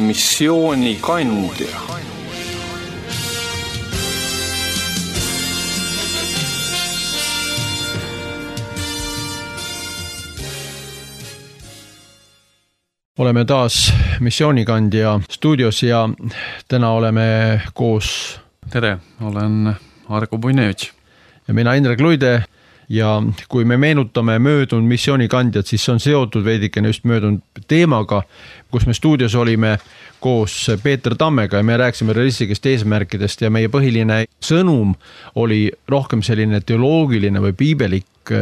missioonikandja. Oleme taas missioonikandja stuudios ja täna oleme koos. Tere, olen Argo Puinevitš. Ja mina Indrek Luide ja kui me meenutame möödunud missioonikandjad, siis see on seotud veidikene just möödunud teemaga, kus me stuudios olime koos Peeter Tammega ja me rääkisime realistlikest eesmärkidest ja meie põhiline sõnum oli rohkem selline teoloogiline või piibelik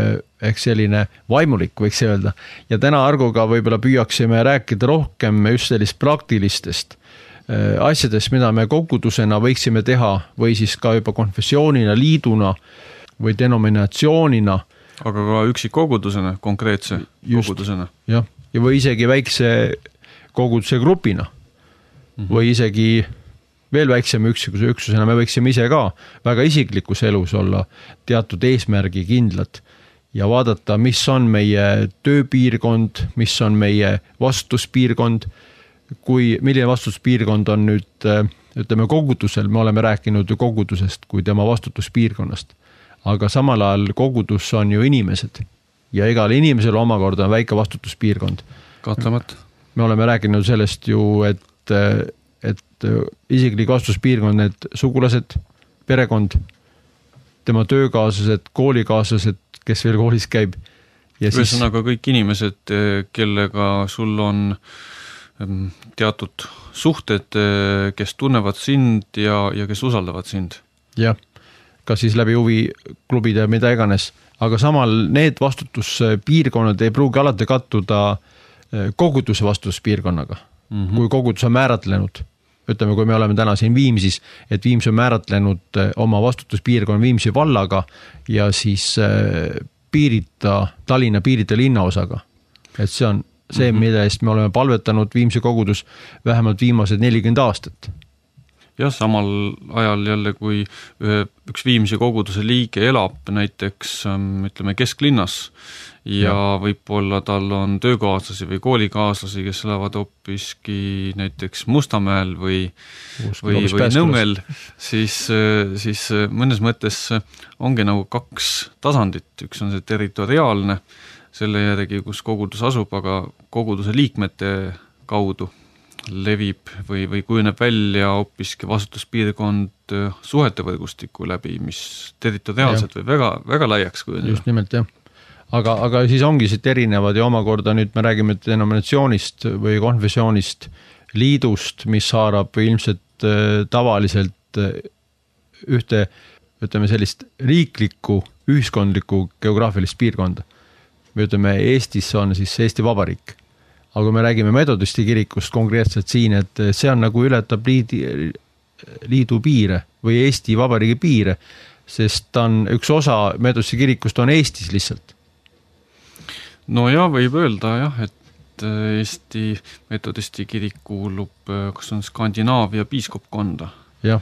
ehk selline vaimulik, võiks öelda. Ja täna Argoga võib-olla püüaksime rääkida rohkem just sellist praktilistest asjadest, mida me kogudusena võiksime teha või siis ka juba konfessioonina, liiduna või denominatsioonina. Aga ka üksikkogudusena, konkreetse kogudusena. Ja või isegi väikse koguduse grupina või isegi veel väiksema üksusena. Me võiksime ise ka väga isiklikus elus olla teatud eesmärgi kindlad ja vaadata, mis on meie tööpiirkond, mis on meie vastutuspiirkond, milline vastutuspiirkond on nüüd, ütleme kogudusel, me oleme rääkinud ju kogudusest kui tema vastutuspiirkonnast, aga samal ajal kogudus on ju inimesed ja igal inimesel omakorda on väike vastutuspiirkond. Kahtlemata. Me oleme rääkinud sellest ju, et isiklik vastutuspiirkond, need sugulased, perekond, tema töökaaslased, koolikaaslased, kes veel koolis käib. Ühesõnaga kõik inimesed, kellega sul on teatud suhted, kes tunnevad sind ja kes usaldavad sind. Jah, kas siis läbi huviklubide ja mida iganes. Aga samal need vastutuspiirkonnad ei pruugi alati kattuda koguduse vastutuspiirkonnaga. Kui kogudus on määratlenud, ütleme, kui me oleme täna siin Viimsis, et Viims on määratlenud oma vastutuspiirkonna Viimsi vallaga ja siis piirita Tallinna piirita linnaosaga. Et see on see, mida eest me oleme palvetanud Viimsi kogudus vähemalt viimased 40 aastat. Ja samal ajal jälle, kui üks Viimsi koguduse liige elab näiteks, ütleme, kesklinnas ja võib-olla tal on töökaaslasi või koolikaaslasi, kes elavad hoopiski näiteks Mustamäel või Nõmmel, siis mõnes mõttes ongi nagu kaks tasandit. Üks on see territoriaalne, selle järgi, kus kogudus asub, aga koguduse liikmete kaudu levib või kujuneb välja hoopiski vastutuspiirkond suhete võrgustiku läbi, mis territoriaalselt või väga, väga laiaks kujuneb. Just nimelt, jah. Aga siis ongi siit erinevad ja omakorda nüüd me räägime denominatsioonist või konfessioonist, liidust, mis haarab ilmselt tavaliselt ühte, ütleme sellist riiklikku, ühiskondlikku geograafilist piirkonda. Me ütleme, Eestis on siis Eesti Vabariik. Aga kui me räägime metodisti kirikust konkreetselt siin, et see on nagu ületab liidu piire või Eesti Vabariigi piire, sest on üks osa metodisti kirikust on Eestis lihtsalt. No ja võib öelda jah, et Eesti metodisti kirik kuulub, kas on Skandinaavia piiskopkonda. Ja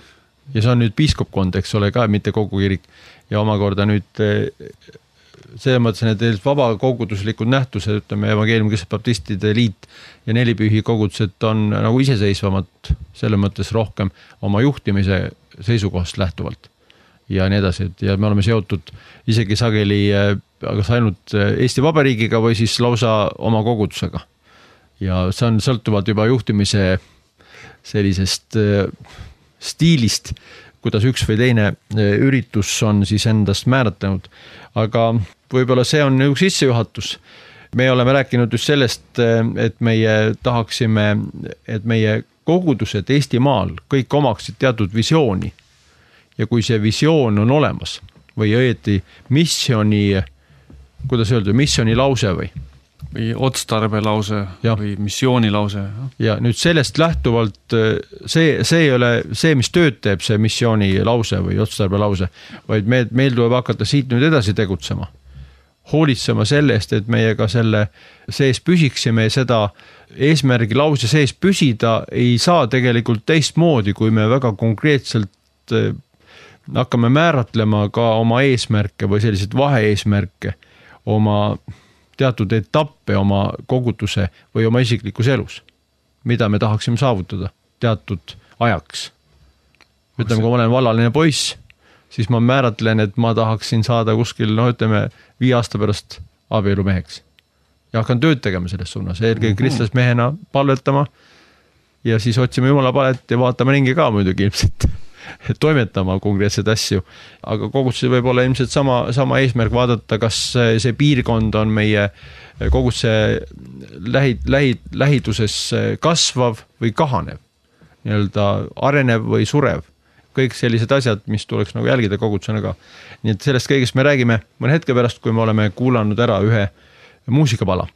see on nüüd piiskopkond, eks ole ka, mitte kogu kirik. Ja omakorda nüüd see mõtlesin, et vaba koguduslikud nähtused, ütleme, evangeeliumi baptistide liit ja nelipühi kogudused on nagu iseseisvamad selle mõttes rohkem oma juhtimise seisukohast lähtuvalt ja nii edasi. Ja me oleme seotud isegi sageli kas ainult Eesti Vabariigiga või siis lausa oma kogudusega. Ja see on sõltuvalt juba juhtimise sellisest stiilist, kuidas üks või teine üritus on siis endast määratlenud. Aga võib-olla see on üks sissejuhatus. Me oleme rääkinud just sellest, et meie tahaksime, et meie kogudused Eestimaal kõik omaksid teatud visiooni. Ja kui see visioon on olemas või õieti missioni, kuidas öelda, missioni lause või otstarbe lause või missiooni lause. Ja nüüd sellest lähtuvalt see ei ole see, mis tööd teeb see missiooni lause või otstarbe lause, vaid meil tuleb hakata siit nüüd edasi tegutsema. Hoolitsema selle eest, et meie ka selle sees püsiksime ja seda eesmärgi lause sees püsida ei saa tegelikult teistmoodi, kui me väga konkreetselt hakkame määratlema ka oma eesmärke või sellised vaheeesmärke, oma teatud etappe oma koguduse või oma isiklikus elus. mida me tahaksime saavutada teatud ajaks. Ütleme, kui ma olen vallaline poiss, siis ma määratlen, et ma tahaksin saada kuskil, 5 aasta pärast abielumeheks. Ja hakkan tööd tegema selles suunas, eelkõige kristlasest mehena palvetama ja siis otsime Jumala palet ja vaatame ringi ka muidugi ilmselt toimetama konkreetseid asju. Aga koguduse võib olla ilmselt sama eesmärk vaadata, kas see piirkond on meie koguduse lähiduses kasvav või kahanev, nii-öelda arenev või surev. Kõik sellised asjad, mis tuleks nagu jälgida kogudusena ka. Nii et sellest kõigest me räägime mõne hetke pärast, kui me oleme kuulanud ära ühe muusikapala.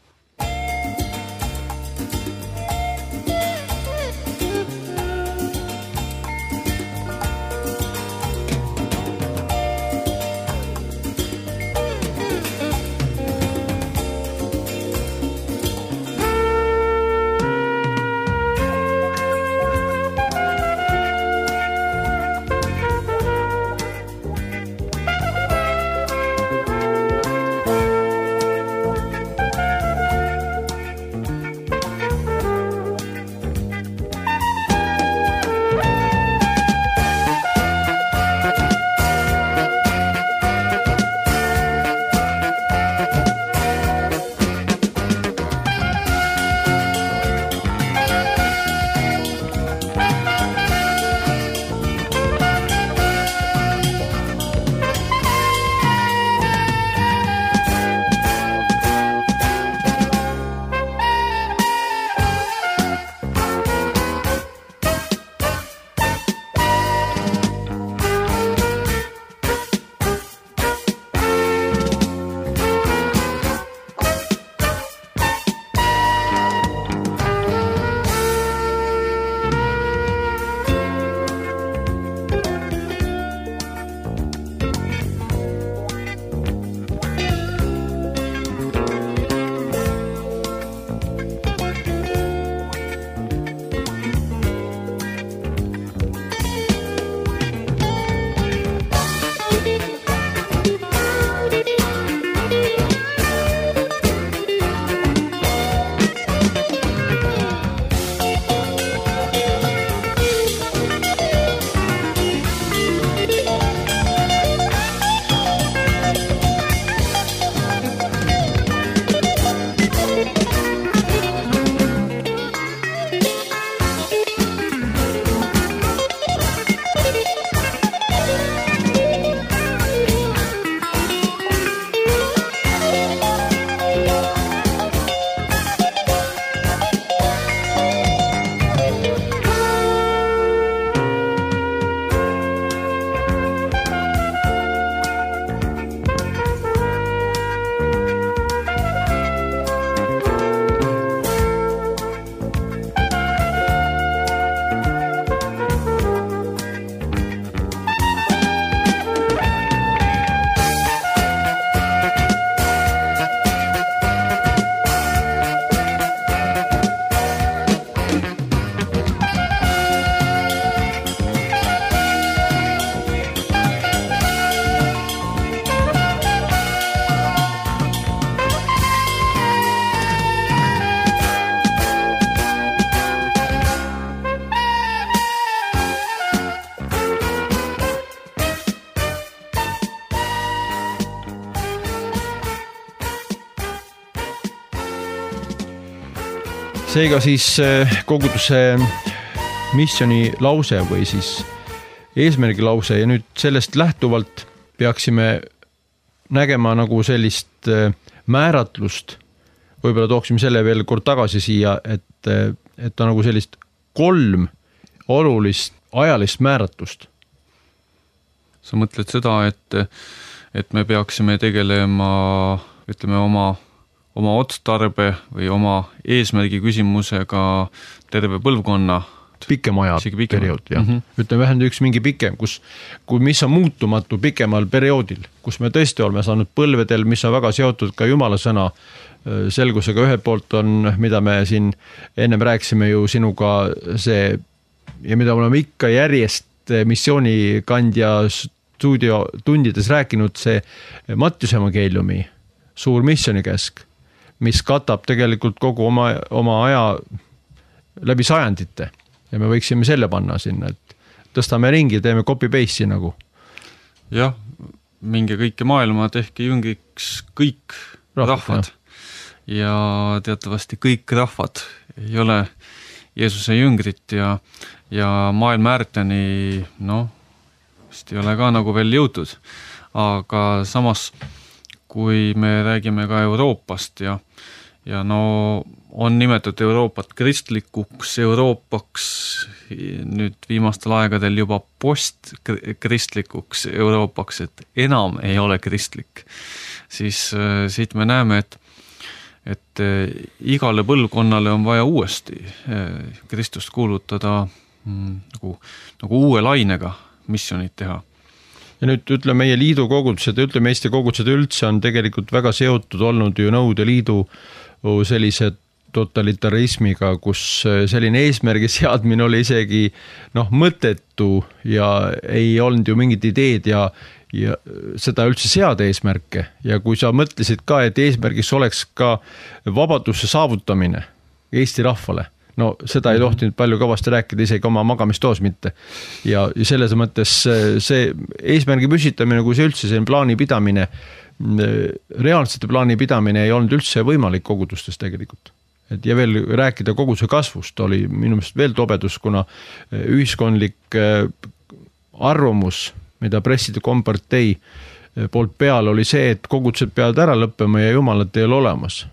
Seega siis koguduse missioni lause või siis eesmärgi lause ja nüüd sellest lähtuvalt peaksime nägema nagu sellist määratlust, võib-olla tooksime selle veel kord tagasi siia, et ta nagu sellist 3 olulist ajalist määratlust. Sa mõtled seda, et me peaksime tegelema, ütleme, oma otstarbe või oma eesmärgi küsimusega terve põlvkonna. Pikem aja periood, jah. Ütleme vähemalt üks mingi pikem, mis on muutumatu pikemal perioodil, kus me tõesti oleme saanud põlvedel, mis on väga seotud ka Jumala sõna selgusega. Ühelt poolt on, mida me siin ennem rääkisime ju sinuga see, ja mida oleme ikka järjest missioonikandja stuudiotundides rääkinud, see Mattiuse evangeeliumi suur missionikäsk, mis katab tegelikult kogu oma aja läbi sajandite ja me võiksime selle panna sinna, et tõstame ringi, teeme copy-paste'i nagu. Jah, minge kõike maailma, tehke jüngiks kõik rahvad. Ja teatavasti kõik rahvad ei ole Jeesuse jüngrit ja maailma äärteni, vist ei ole ka nagu veel jõutud. Aga samas, kui me räägime ka Euroopast ja on nimetatud Euroopat kristlikuks Euroopaks, nüüd viimastel aegadel juba postkristlikuks Euroopaks, et enam ei ole kristlik, siis siit me näeme, et igale põlvkonnale on vaja uuesti Kristust kuulutada nagu uue lainega missionit teha. Ja nüüd ütleme meie liidu kogudused, ütleme Eesti kogudused üldse on tegelikult väga seotud olnud ju Nõukogude Liidu sellise totalitarismiga, kus selline eesmärgi seadmine oli isegi mõttetu ja ei olnud ju mingid ideed ja seda üldse seada eesmärke. Ja kui sa mõtlesid ka, et eesmärgis oleks ka vabaduse saavutamine Eesti rahvale, seda ei tohtinud palju kõvasti rääkida, isegi oma magamistoos mitte. Ja selles mõttes see eesmärgi püsitamine, kui see üldse see plaani pidamine, reaalsete plaani pidamine ei olnud üldse võimalik kogudustes tegelikult. Ja veel rääkida koguduse kasvust oli minu meelest veel tobedus, kuna ühiskondlik arvamus, mida presside kompartei poolt peal oli see, et kogudused peavad ära lõppema ja jumalat ei ole olemas.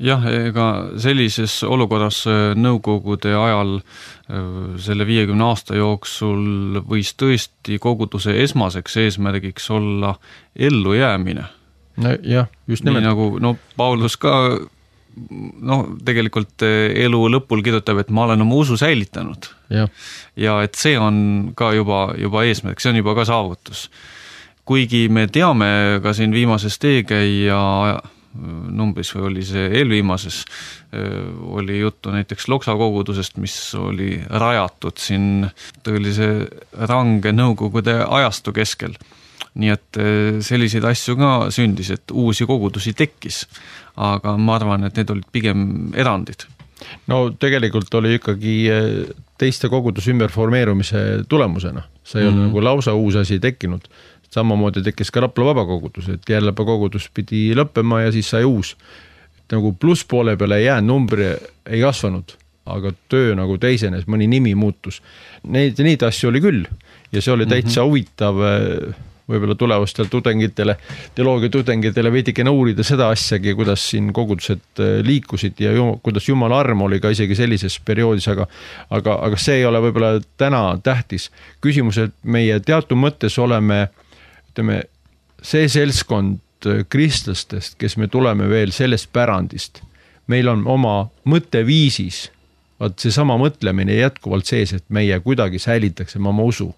Jah, ega sellises olukorras nõukogude ajal selle 50 aasta jooksul võis tõesti koguduse esmaseks eesmärgiks olla ellujäämine. Jah, just nimelt. Nii nagu Paulus ka tegelikult elu lõpul kirjutab, et ma olen oma usu säilitanud. Ja et see on ka juba eesmärk, see on juba ka saavutus. Kuigi me teame ka siin viimases teekäija numbris või oli see eelviimases, oli juttu näiteks Loksa kogudusest, mis oli rajatud siin tõelise range nõukogude ajastu keskel. Nii et selliseid asju ka sündis, et uusi kogudusi tekkis, aga ma arvan, et need olid pigem erandid. Tegelikult oli ikkagi teiste koguduse ümberformeerumise tulemusena. See ei ole nagu lausa uus asi tekkinud. Samamoodi tekkis ka Rapla vabakogudus, et Järlapa kogudus pidi lõppema ja siis sai uus. Nagu pluss poole peale ei jäänud, numbri ei kasvanud, aga töö nagu teisenes, mõni nimi muutus. Neid asju oli küll ja see oli täitsa huvitav võib-olla tulevastel tudengitele, teoloogia tudengitele veidike uurida seda asjagi, kuidas siin kogudused liikusid ja kuidas Jumala arm oli ka isegi sellises perioodis, aga see ei ole võib-olla täna tähtis. Küsimus, et meie teatud mõttes oleme see seltskond kristlastest, kes me tuleme veel sellest pärandist. Meil on oma mõtteviisis, see sama mõtlemine jätkuvalt sees, et meie kuidagi säilitaksime oma usu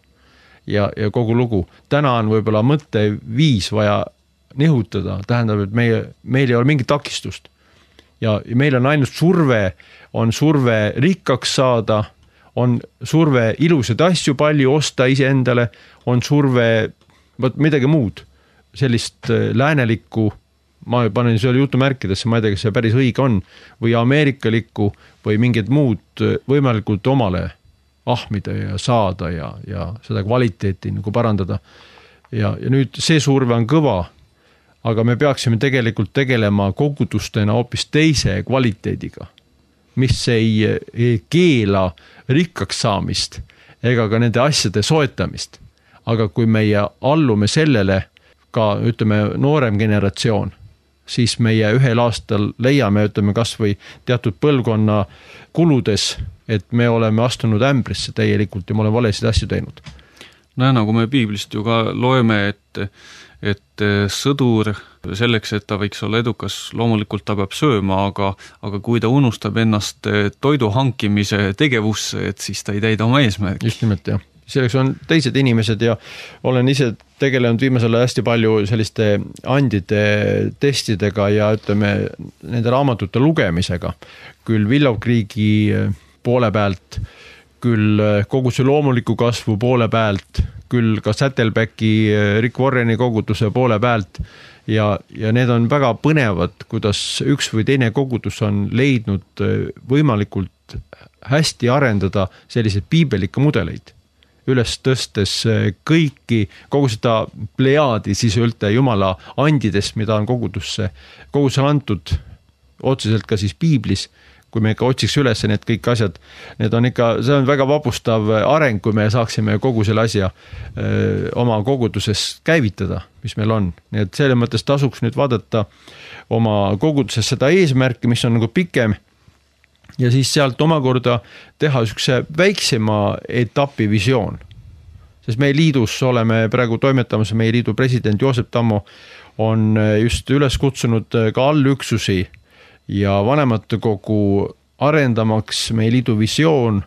ja kogu lugu. Täna on võib-olla mõtteviis vaja nihutada, tähendab, et meil ei ole mingit takistust. Ja meil on ainult surve rikkaks saada, on surve ilusad asju palju osta iseendale, on surve midagi muud, sellist läänelikku, ma panen selle jutumärkidesse, ma ei tea, kas see päris õige on, või ameerikalikku või mingid muud võimalikult omale ahmida ja saada ja seda kvaliteeti nagu parandada. Ja nüüd see surve on kõva, aga me peaksime tegelikult tegelema kogudustena hoopis teise kvaliteediga, mis ei keela rikkaks saamist ega ka nende asjade soetamist. Aga kui meie allume sellele ka, noorem generatsioon, siis meie ühel aastal leiame, kas või teatud põlvkonna kuludes, et me oleme astunud ämbrisse täielikult ja me oleme valesid asju teinud. Nagu me piiblist ju ka loeme, et sõdur selleks, et ta võiks olla edukas, loomulikult ta peab sööma, aga kui ta unustab ennast toidu hankimise tegevusse, et siis ta ei täida oma eesmärgi. Just nimelt, jah. Selleks on teised inimesed ja olen ise tegelenud viimasel hästi palju selliste andide testidega ja nende raamatute lugemisega. Küll Willow Creeki poole pealt, küll kogu see loomuliku kasvu poole pealt, küll ka Saddlebacki Rick Warreni koguduse poole pealt ja need on väga põnevad, kuidas üks või teine kogudus on leidnud võimalikult hästi arendada selliseid piibelikke mudeleid, üles tõstes kõiki, kogu seda plejaadi siis ülte Jumala andidest, mida on kogudusele antud otseselt ka siis piiblis, kui me ikka otsiks üles need kõik asjad, need on ikka, see on väga vapustav areng, kui me saaksime kogu selle asja oma koguduses käivitada, mis meil on. Nii et selle mõttes tasuks nüüd vaadata oma koguduses seda eesmärki, mis on nagu pikem, ja siis sealt omakorda teha üks väiksema etapi visioon. Sest meie liidus oleme praegu toimetamas, meie liidu president Joosep Tammo on just üles kutsunud ka allüksusi ja vanematekogu arendamaks meie liidu visioon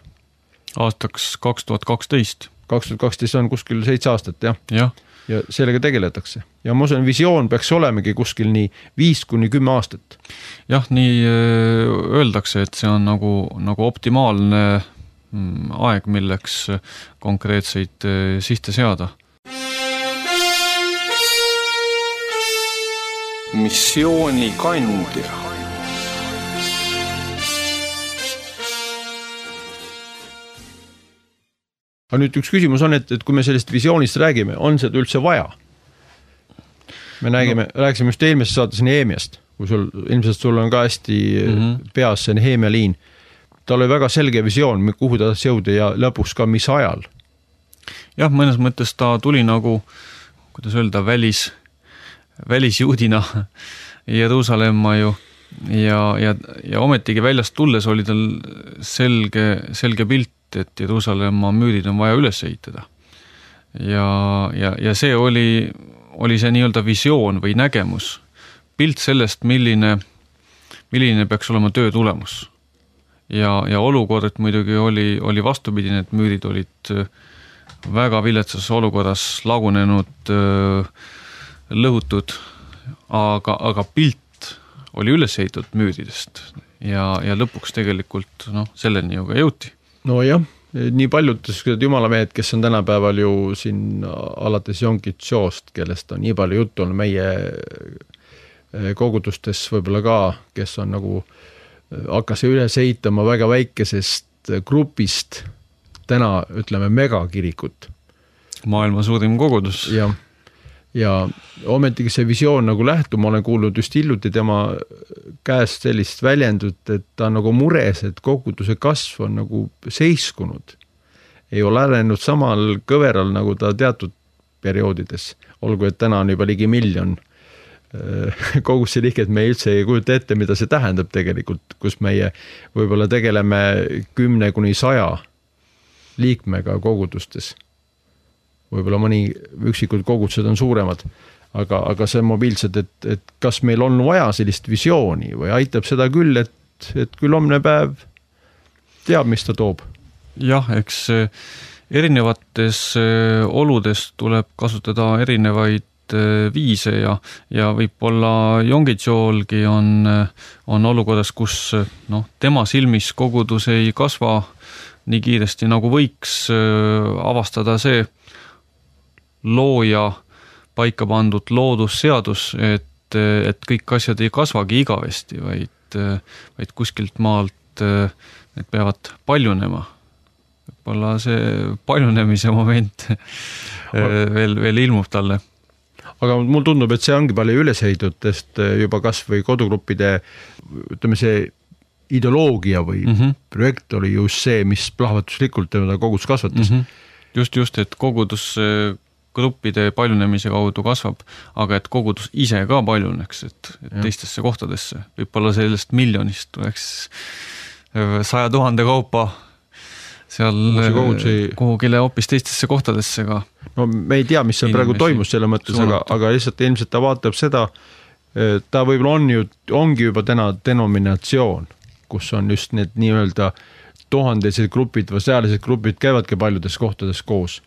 aastaks 2012. 2012 on kuskil 7 aastat, jah. Ja sellega tegeletakse. Ja ma usun, visioon peaks olemegi kuskil nii 5-10 aastat. Jah, nii öeldakse, et see on nagu optimaalne aeg, milleks konkreetseid sihte seada. Missiooni kandja. Aga nüüd üks küsimus on, et kui me sellest visioonist räägime, on seda üldse vaja? Me rääkisime just eelmises saates Nehemiast, kui ilmselt sul on ka hästi peas see Nehemia liin. Tal oli väga selge visioon, kuhu ta jõuda ja lõpuks ka mis ajal. Jah, mõnes mõttes ta tuli nagu, kuidas öelda, välisjuudina Jeruusalemma ju ja ometigi väljast tulles oli tal selge pilt, et Jeruusalemma müürid on vaja üles ehitada. Ja see oli see nii-öelda visioon või nägemus, pilt sellest, milline peaks olema töö tulemus. Ja olukord muidugi oli vastupidine, et müürid olid väga viletsas olukorras lagunenud, lõhutud, aga pilt oli üles ehitatud müüridest ja lõpuks tegelikult selleni ju ka jõuti. No jah, nii paljud jumalamehed, kes on tänapäeval ju siin alates Jonkitsoost, kellest on nii palju juttu on meie kogudustes võib-olla ka, kes on nagu hakkas üles ehitama väga väikesest grupist täna, ütleme, megakirikut. Maailma suurim kogudus. Ja ometigi see visioon nagu lähtub, ma olen kuulnud just hiljuti tema käest sellist väljendut, et ta on nagu mures, et koguduse kasv on nagu seiskunud. Ei ole arenenud samal kõveral nagu ta teatud perioodides, olgu, et täna on juba ligi 1 miljon koguduse liiget, me üldse ei kujuta ette, mida see tähendab tegelikult, kus meie võib-olla tegeleme 10-100 liikmega kogudustes. Võib-olla mõni üksikud kogudused on suuremad, aga see on mobiilsed, et kas meil on vaja sellist visiooni või aitab seda küll, et küll homne päev teab, mis ta toob. Jah, eks erinevates oludes tuleb kasutada erinevaid viise ja võib-olla Jongitsoolgi on olukorras, kus tema silmis kogudus ei kasva nii kiiresti, nagu võiks avastada see looja paika pandud loodusseadus, et kõik asjad ei kasvagi igavesti, vaid kuskilt maalt need peavad paljunema. Võib-olla see paljunemise moment veel ilmub talle. Aga mul tundub, et see ongi palju ülesehitutest juba kas või kodugruppide, ütleme see ideoloogia või projekt oli just see, mis plahvatuslikult kogudus kasvatas. Just, et kogudus gruppide paljunemise kaudu kasvab, aga et kogudus ise ka paljuneks, et teistesse kohtadesse. Võib-olla sellest 1 miljonist tuleks 100 000 kaupa seal kuhugile hoopis teistesse kohtadesse ka. No me ei tea, mis seal praegu toimus selle mõttes, aga lihtsalt ilmselt ta vaatab seda, ta võib-olla ongi juba täna denominatsioon, kus on just need nii-öelda tuhandesed grupid või sealised grupid käivadki paljudes kohtades koos.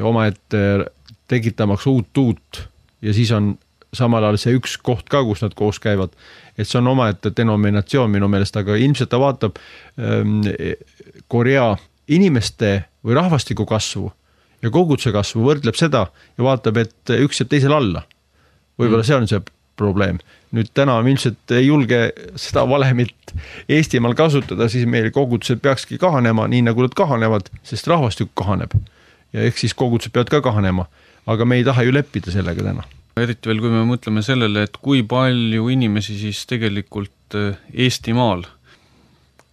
Oma ette tekitamaks uut ja siis on samal ajal see üks koht ka, kus nad koos käivad. Et see on oma ette denominatsioon minu meelest, aga ilmselt ta vaatab Korea inimeste või rahvastiku kasvu ja koguduse kasvu, võrdleb seda ja vaatab, et üks jääb teisel alla. Võib-olla see on see probleem. Nüüd täna me ilmselt ei julge seda valemit Eestimaal kasutada, siis meil kogudused peakski kahanema, nii nagu nad kahanevad, sest rahvastik kahaneb. Ja ehk siis kogudused peavad ka kahanema, aga me ei taha ju leppida sellega täna. Eriti veel, kui me mõtleme sellele, et kui palju inimesi siis tegelikult Eestimaal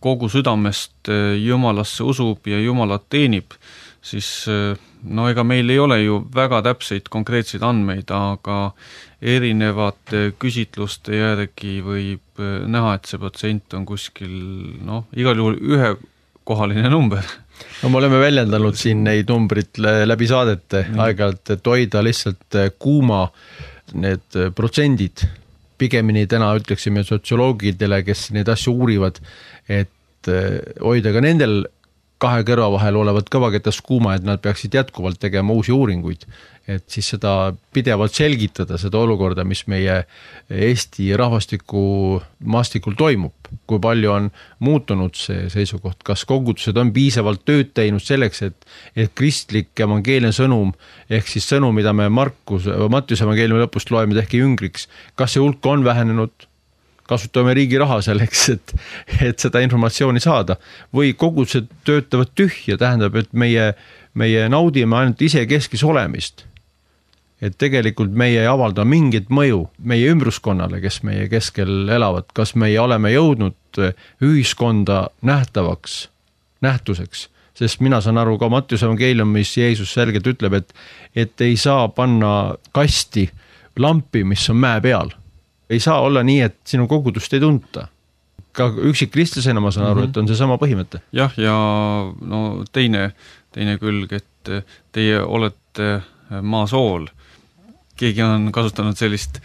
kogu südamest Jumalasse usub ja Jumalat teenib, siis no ega meil ei ole ju väga täpseid konkreetseid andmeid, aga erinevate küsitluste järgi võib näha, et see protsent on kuskil, igal juhul ühekohaline number. No me oleme väljendanud siin neid numbrit läbi saadete aeg-ajalt, et hoida lihtsalt kuuma need protsendid. Pigemini täna ütleksime sotsioloogidele, kes neid asju uurivad, et hoida ka nendel kahe kõrva vahel olevat kõvaketast kuuma, et nad peaksid jätkuvalt tegema uusi uuringuid, et siis seda pidevalt selgitada, seda olukorda, mis meie Eesti rahvastiku maastikul toimub, kui palju on muutunud see seisukoht, kas kogudused on piisavalt tööd teinud selleks, et kristlik evangeelne sõnum, ehk siis sõnum, mida me Mattiuse evangeeliumi lõpust loeme tehke jüngriks, kas see hulk on vähenenud, kasutame riigi raha selleks, et seda informatsiooni saada, või kogudused töötavad tühja, tähendab, et meie naudime ainult ise keskis olemist. Et tegelikult meie ei avalda mingit mõju meie ümbruskonnale, kes meie keskel elavad, kas meie oleme jõudnud ühiskonda nähtuseks, sest mina saan aru ka Mattiuse evangeeliumis Jeesus selgelt ütleb, et ei saa panna kasti lampi, mis on mäe peal. Ei saa olla nii, et sinu kogudust ei tunta. Ka üksikkristlasena ma saan aru, et on see sama põhimõte. Jah, ja teine külg, et teie olete maasool. Keegi on kasutanud sellist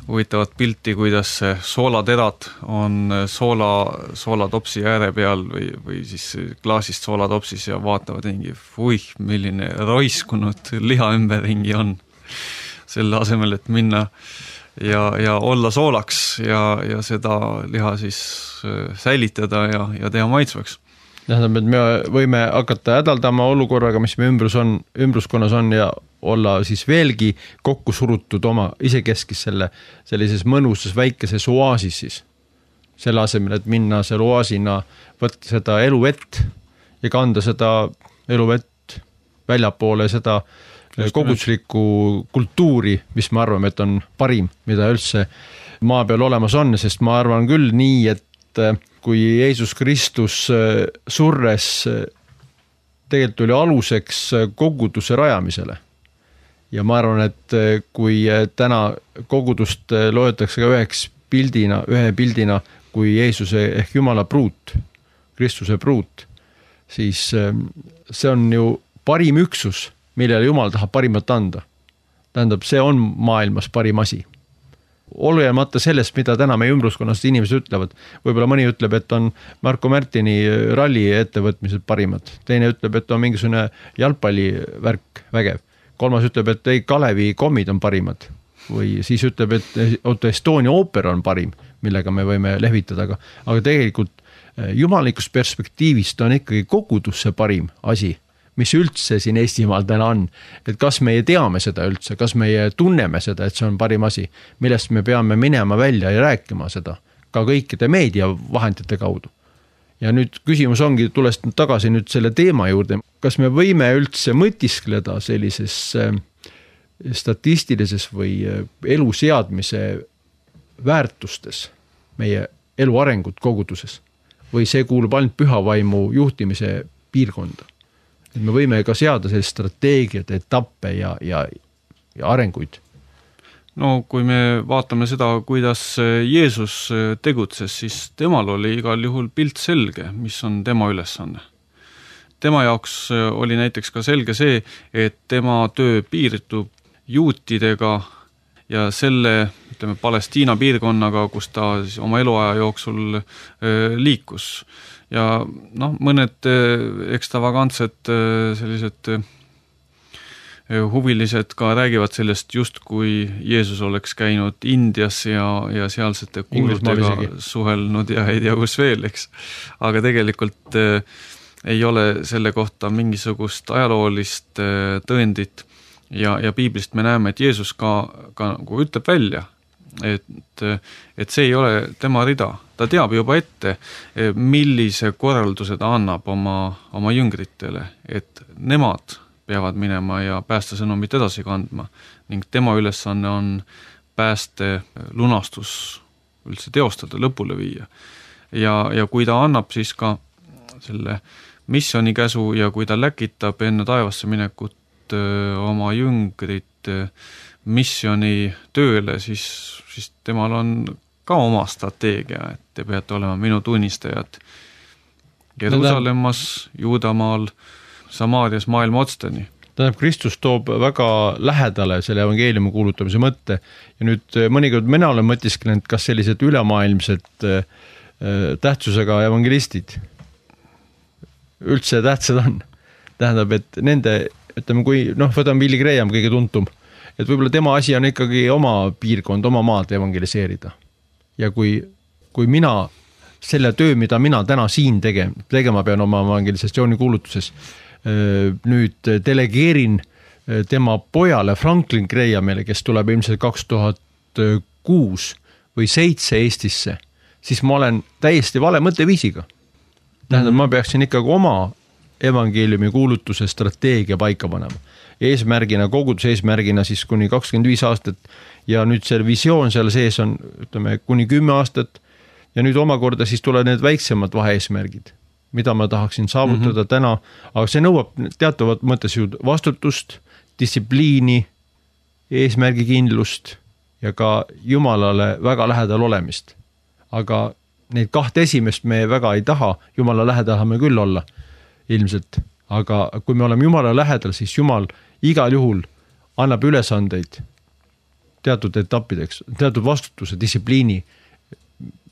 huvitavat pilti, kuidas soolaterad on soolatopsi ääre peal või siis klaasist soolatopsis ja vaatavad mingi, milline roiskunud liha ümberringi on. Selle asemel, et minna ja olla soolaks ja seda liha siis säilitada ja teha maitsvaks. Tähendab, et me võime hakata hädaldama olukorraga, mis me ümbruskonnas on ja olla siis veelgi kokku surutud oma isekeskis sellises mõnusas väikeses oaasis siis. Selle asemel, et minna selle oaasina, võtta seda eluvett ja kanda seda eluvett väljapoole seda koguduslikku kultuuri, mis me arvame, et on parim, mida üldse maa peal olemas on, sest ma arvan küll nii, et kui Jeesus Kristus surres tegelikult oli aluseks koguduse rajamisele. Ja ma arvan, et kui täna kogudust loetakse ka ühe pildina kui Jeesuse ehk Jumala pruut, Kristuse pruut, siis see on ju parim üksus, millele Jumal tahab parimat anda. Tähendab, see on maailmas parim asi. Olemata sellest, mida täna meie ümbruskonnast inimesed ütlevad. Võib-olla mõni ütleb, et on Marko Märtini ralli ettevõtmised parimad. Teine ütleb, et on mingisugune jalgpallivärk vägev. Kolmas ütleb, et ei, Kalevi kommid on parimad. Või siis ütleb, et Estonia ooper on parim, millega me võime lehvitada. Aga tegelikult jumalikust perspektiivist on ikkagi kogudusse parim asi, mis üldse siin Eestimaal täna on. Et kas meie teame seda üldse, kas meie tunneme seda, et see on parim asi, millest me peame minema välja ja rääkima seda ka kõikide meediavahendite kaudu. Ja nüüd küsimus ongi, tulles tagasi nüüd selle teema juurde, kas me võime üldse mõtiskleda sellises statistilises või elu seadmise väärtustes meie elu arengut koguduses või see kuulub ainult pühavaimu juhtimise piirkonda. Et me võime ka seada sellist strateegiat, etappe ja arenguid. No kui me vaatame seda, kuidas Jeesus tegutses, siis temal oli igal juhul pilt selge, mis on tema ülesanne. Tema jaoks oli näiteks ka selge see, et tema töö piirdub juutidega ja selle, Palestiina piirkonnaga, kus ta siis oma eluaja jooksul liikus. Ja mõned ekstravagantsed sellised huvilised ka räägivad sellest just, kui Jeesus oleks käinud Indias ja sealsete kuulutega suhelnud ja ei tea kus veel, eks. Aga tegelikult ei ole selle kohta mingisugust ajaloolist tõendit ja piiblist me näeme, et Jeesus ka nagu ütleb välja, et see ei ole tema rida. Ta teab juba ette, millise korralduse ta annab oma jüngritele, et nemad peavad minema ja päästesõnumit edasi kandma ning tema ülesanne on pääste lunastus üldse teostada, lõpule viia. Ja kui ta annab siis ka selle missiooni käsu ja kui ta läkitab enne taevasse minekut oma jüngrit missiooni tööle, siis temal on ka oma strateegia, et te peate olema minu tunnistajad Jeruusalemmas, Juudamaal, Samaarias, maailma otsteni. Tähendab, Kristus toob väga lähedale selle evangeeliumi kuulutamise mõtte ja nüüd mõnikord mina olen mõtisklenud, kas sellised ülemaailmsed tähtsusega evangelistid üldse tähtsad on. Tähendab, et nende, ütleme, kui võtame Billy Graham kõige tuntum, et võib-olla tema asi on ikkagi oma piirkond, oma maad evangeliseerida. Ja kui mina selle töö, mida mina täna siin tegema pean oma evangelisatsiooni kuulutuses, nüüd delegeerin tema pojale Franklin Grahamile, kes tuleb ilmselt 2006 või 2007 Eestisse, siis ma olen täiesti vale mõtteviisiga. Tähendab, ma peaksin ikkagi oma evangeeliumi kuulutuse strateegia paika panema. Eesmärgina, koguduse eesmärgina siis kuni 25 aastat ja nüüd see visioon seal sees on, ütleme, kuni 10 aastat ja nüüd omakorda siis tuleb need väiksemad vaheeesmärgid, mida ma tahaksin saavutada täna, aga see nõuab teatavat mõttes ju vastutust, distsipliini, eesmärgikindlust ja ka Jumalale väga lähedal olemist. Aga neid kahte esimest me väga ei taha, Jumala lähedal tahame küll olla ilmselt, aga kui me oleme Jumala lähedal, siis Jumal igal juhul annab ülesandeid teatud etappideks, teatud vastutuse, distsipliini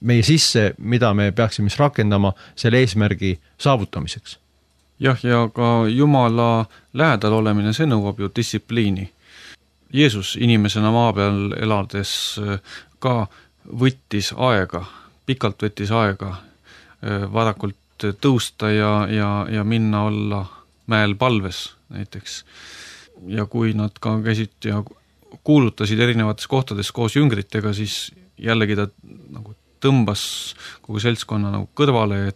meie sisse, mida me peaksime rakendama selle eesmärgi saavutamiseks. Jah, ja ka Jumala lähedal olemine, see nõuab ju distsipliini. Jeesus inimesena maa peal elades ka võttis aega, pikalt võttis aega varakult tõusta ja minna olla mäel palves näiteks. Ja kui nad ka käisid ja kuulutasid erinevates kohtades koos jüngritega, siis jällegi ta nagu tõmbas kogu seltskonna nagu kõrvale,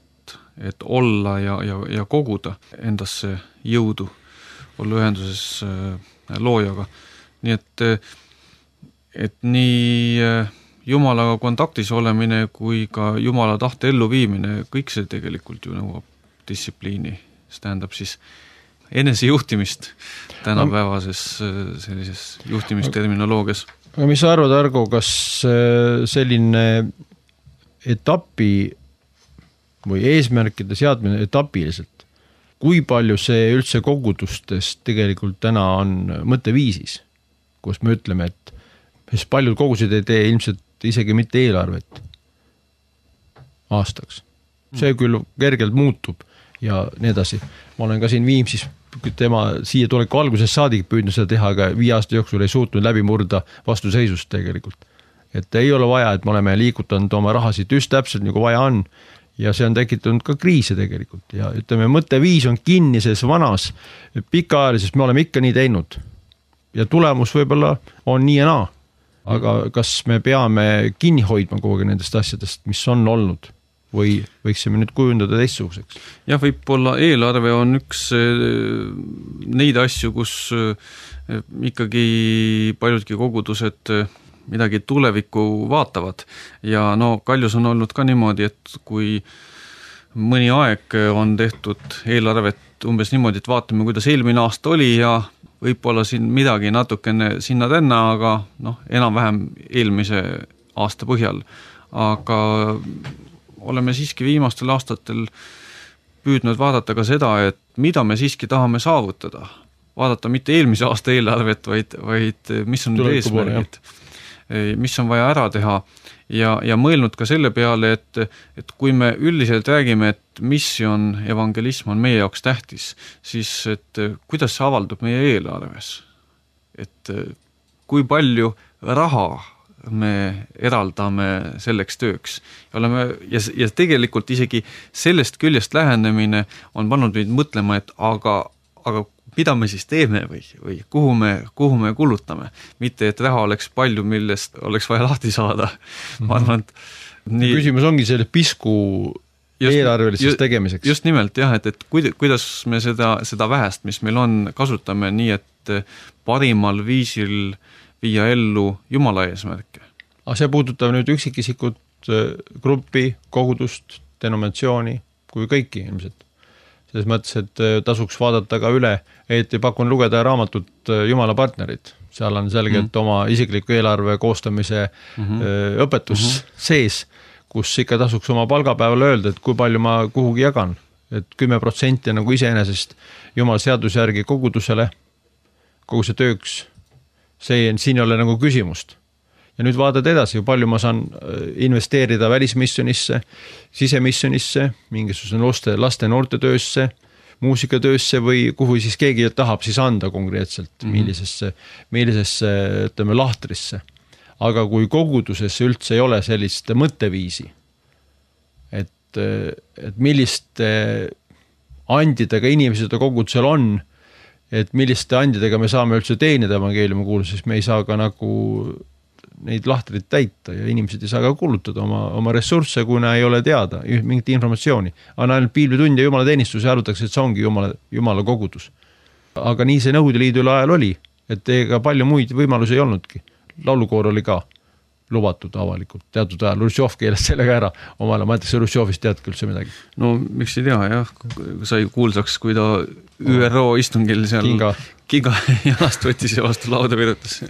et olla ja koguda endasse jõudu, olla ühenduses loojaga. Nii et nii Jumalaga kontaktis olemine kui ka Jumala tahte elluviimine, kõik see tegelikult ju nõuab distsipliini. See tähendab siis enesejuhtimist tänapäevases sellises juhtimisterminoloogias. Aga mis sa arvad, Argo, kas selline etapi või eesmärkide seadmine etapiliselt, kui palju see üldse kogudustes tegelikult täna on mõtteviisis, kus me ütleme, et paljud kogused ei tee ilmselt isegi mitte eelarvet aastaks. See küll kergelt muutub ja nii edasi. Ma olen ka siin Viimsis tema siia tuleku alguses saadik püüdnud seda teha, aga 5 aasta jooksul ei suutnud läbi murda vastuseisust tegelikult. Et ei ole vaja, et me oleme liigutanud oma rahasid just täpselt nagu vaja on ja see on tekitanud ka kriise tegelikult ja ütleme, mõtteviis on kinni selles vanas pikaajalises, me oleme ikka nii teinud ja tulemus võib-olla on nii ja naa, aga kas me peame kinni hoidma kogu nendest asjadest, mis on olnud või võiksime nüüd kujundada teistsuguseks? Jah, võib-olla eelarve on üks neid asju, kus ikkagi paljudki kogudused midagi tulevikku vaatavad ja Kaljus on olnud ka niimoodi, et kui mõni aeg on tehtud eelarvet umbes niimoodi, et vaatame, kuidas eelmine aasta oli ja võib-olla siin midagi natukene sinna-tänna, aga enam-vähem eelmise aasta põhjal. Aga oleme siiski viimastel aastatel püüdnud vaadata ka seda, et mida me siiski tahame saavutada. Vaadata mitte eelmise aasta eelarvet, vaid mis on need eesmärgid, mis on vaja ära teha ja mõelnud ka selle peale, et kui me üldiselt räägime, et missioon, evangelism on meie jaoks tähtis, siis et kuidas see avaldub meie eelarves, et kui palju raha me eraldame selleks tööks. Ja tegelikult isegi sellest küljest lähenemine on pannud meid mõtlema, et aga aga mida me siis teeme või kuhu me kulutame, mitte et raha oleks palju, millest oleks vaja lahti saada. Ma arvan, et nii... Küsimus ongi selle pisku eelarveliseks tegemiseks. Just nimelt jah, et kuidas me seda vähest, mis meil on, kasutame nii, et parimal viisil viia ellu Jumala eesmärke. Aga see puudutab nüüd üksikisikut, gruppi, kogudust, denominatsiooni kui kõiki ilmselt. Selles mõttes, et tasuks vaadata ka üle, et pakun lugeda raamatut Jumala partnerid. Seal on selgelt oma isikliku eelarve koostamise õpetus sees, kus ikka tasuks oma palgapäeval öelda, et kui palju ma kuhugi jagan. Et 10% nagu iseenesest Jumala seaduse järgi kogudusele, kogu see tööks, siin ei ole nagu küsimust. Ja nüüd vaatad edasi, palju ma saan investeerida välismissionisse, sisemissionisse, mingisuguse laste noortetöösse, muusikatöösse või kuhu siis keegi tahab siis anda konkreetselt, millisesse ütleme, lahtrisse. Aga kui koguduses üldse ei ole sellist mõtteviisi, et milliste andidega inimesed kogudusel on, et milliste andidega me saame üldse teenida evangeeliumi kuulda, siis me ei saa ka nagu neid lahtreid täita ja inimesed ei saa ka kulutada oma ressursse, kuna ei ole teada mingit informatsiooni. Aga ainult piiblitund ja Jumala teenistus ja arvatakse, et see ongi Jumala kogudus. Aga nii see Nõukogude Liidu ajal oli, et ega palju muid võimalusi ei olnudki. Laulukoor oli ka lubatud avalikult, teatud ajal Rusjov keeles sellega ära omale, ma ütles, Rusjovist teadki üldse midagi. No miks ei tea, jah, sai kuulsaks, kui ta ÜRO istungil seal Kinga jalast võttis ja vastu lauda virutas.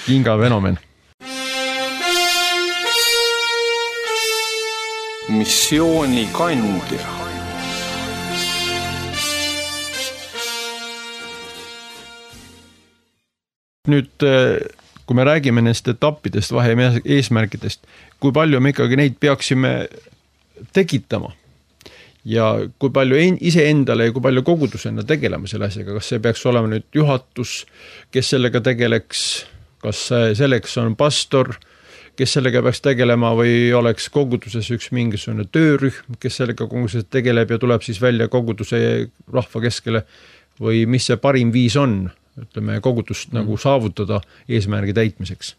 Kinga fenomen. Missiooni kandja. Nüüd kui me räägime nendest etappidest, vahe eesmärkidest, kui palju me ikkagi neid peaksime tekitama ja kui palju iseendale ja kui palju kogudusena tegeleme selle asjaga, kas see peaks olema nüüd juhatus, kes sellega tegeleks, kas selleks on pastor, kes sellega peaks tegelema või oleks koguduses üks mingisugune töörühm, kes sellega koguduses tegeleb ja tuleb siis välja koguduse rahva keskele või mis see parim viis on? Ütleme, kogudust nagu saavutada eesmärgi täitmiseks.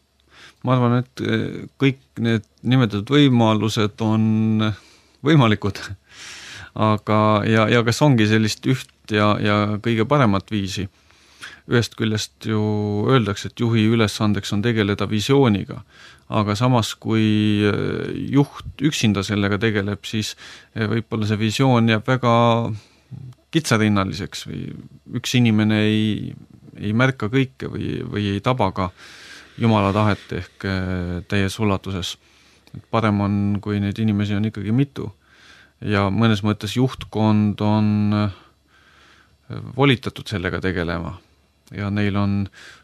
Ma arvan, et kõik need nimetatud võimalused on võimalikud, aga ja kas ongi sellist üht ja kõige paremat viisi. Ühest küljest ju öeldakse, et juhi ülesandeks on tegeleda visiooniga, aga samas kui juht üksinda sellega tegeleb, siis võib-olla see visioon jääb väga kitsarinnaliseks või üks inimene ei märka kõike või ei taba ka Jumala tahet ehk täies ulatuses. Parem on, kui neid inimesi on ikkagi mitu ja mõnes mõttes juhtkond on volitatud sellega tegelema ja neil on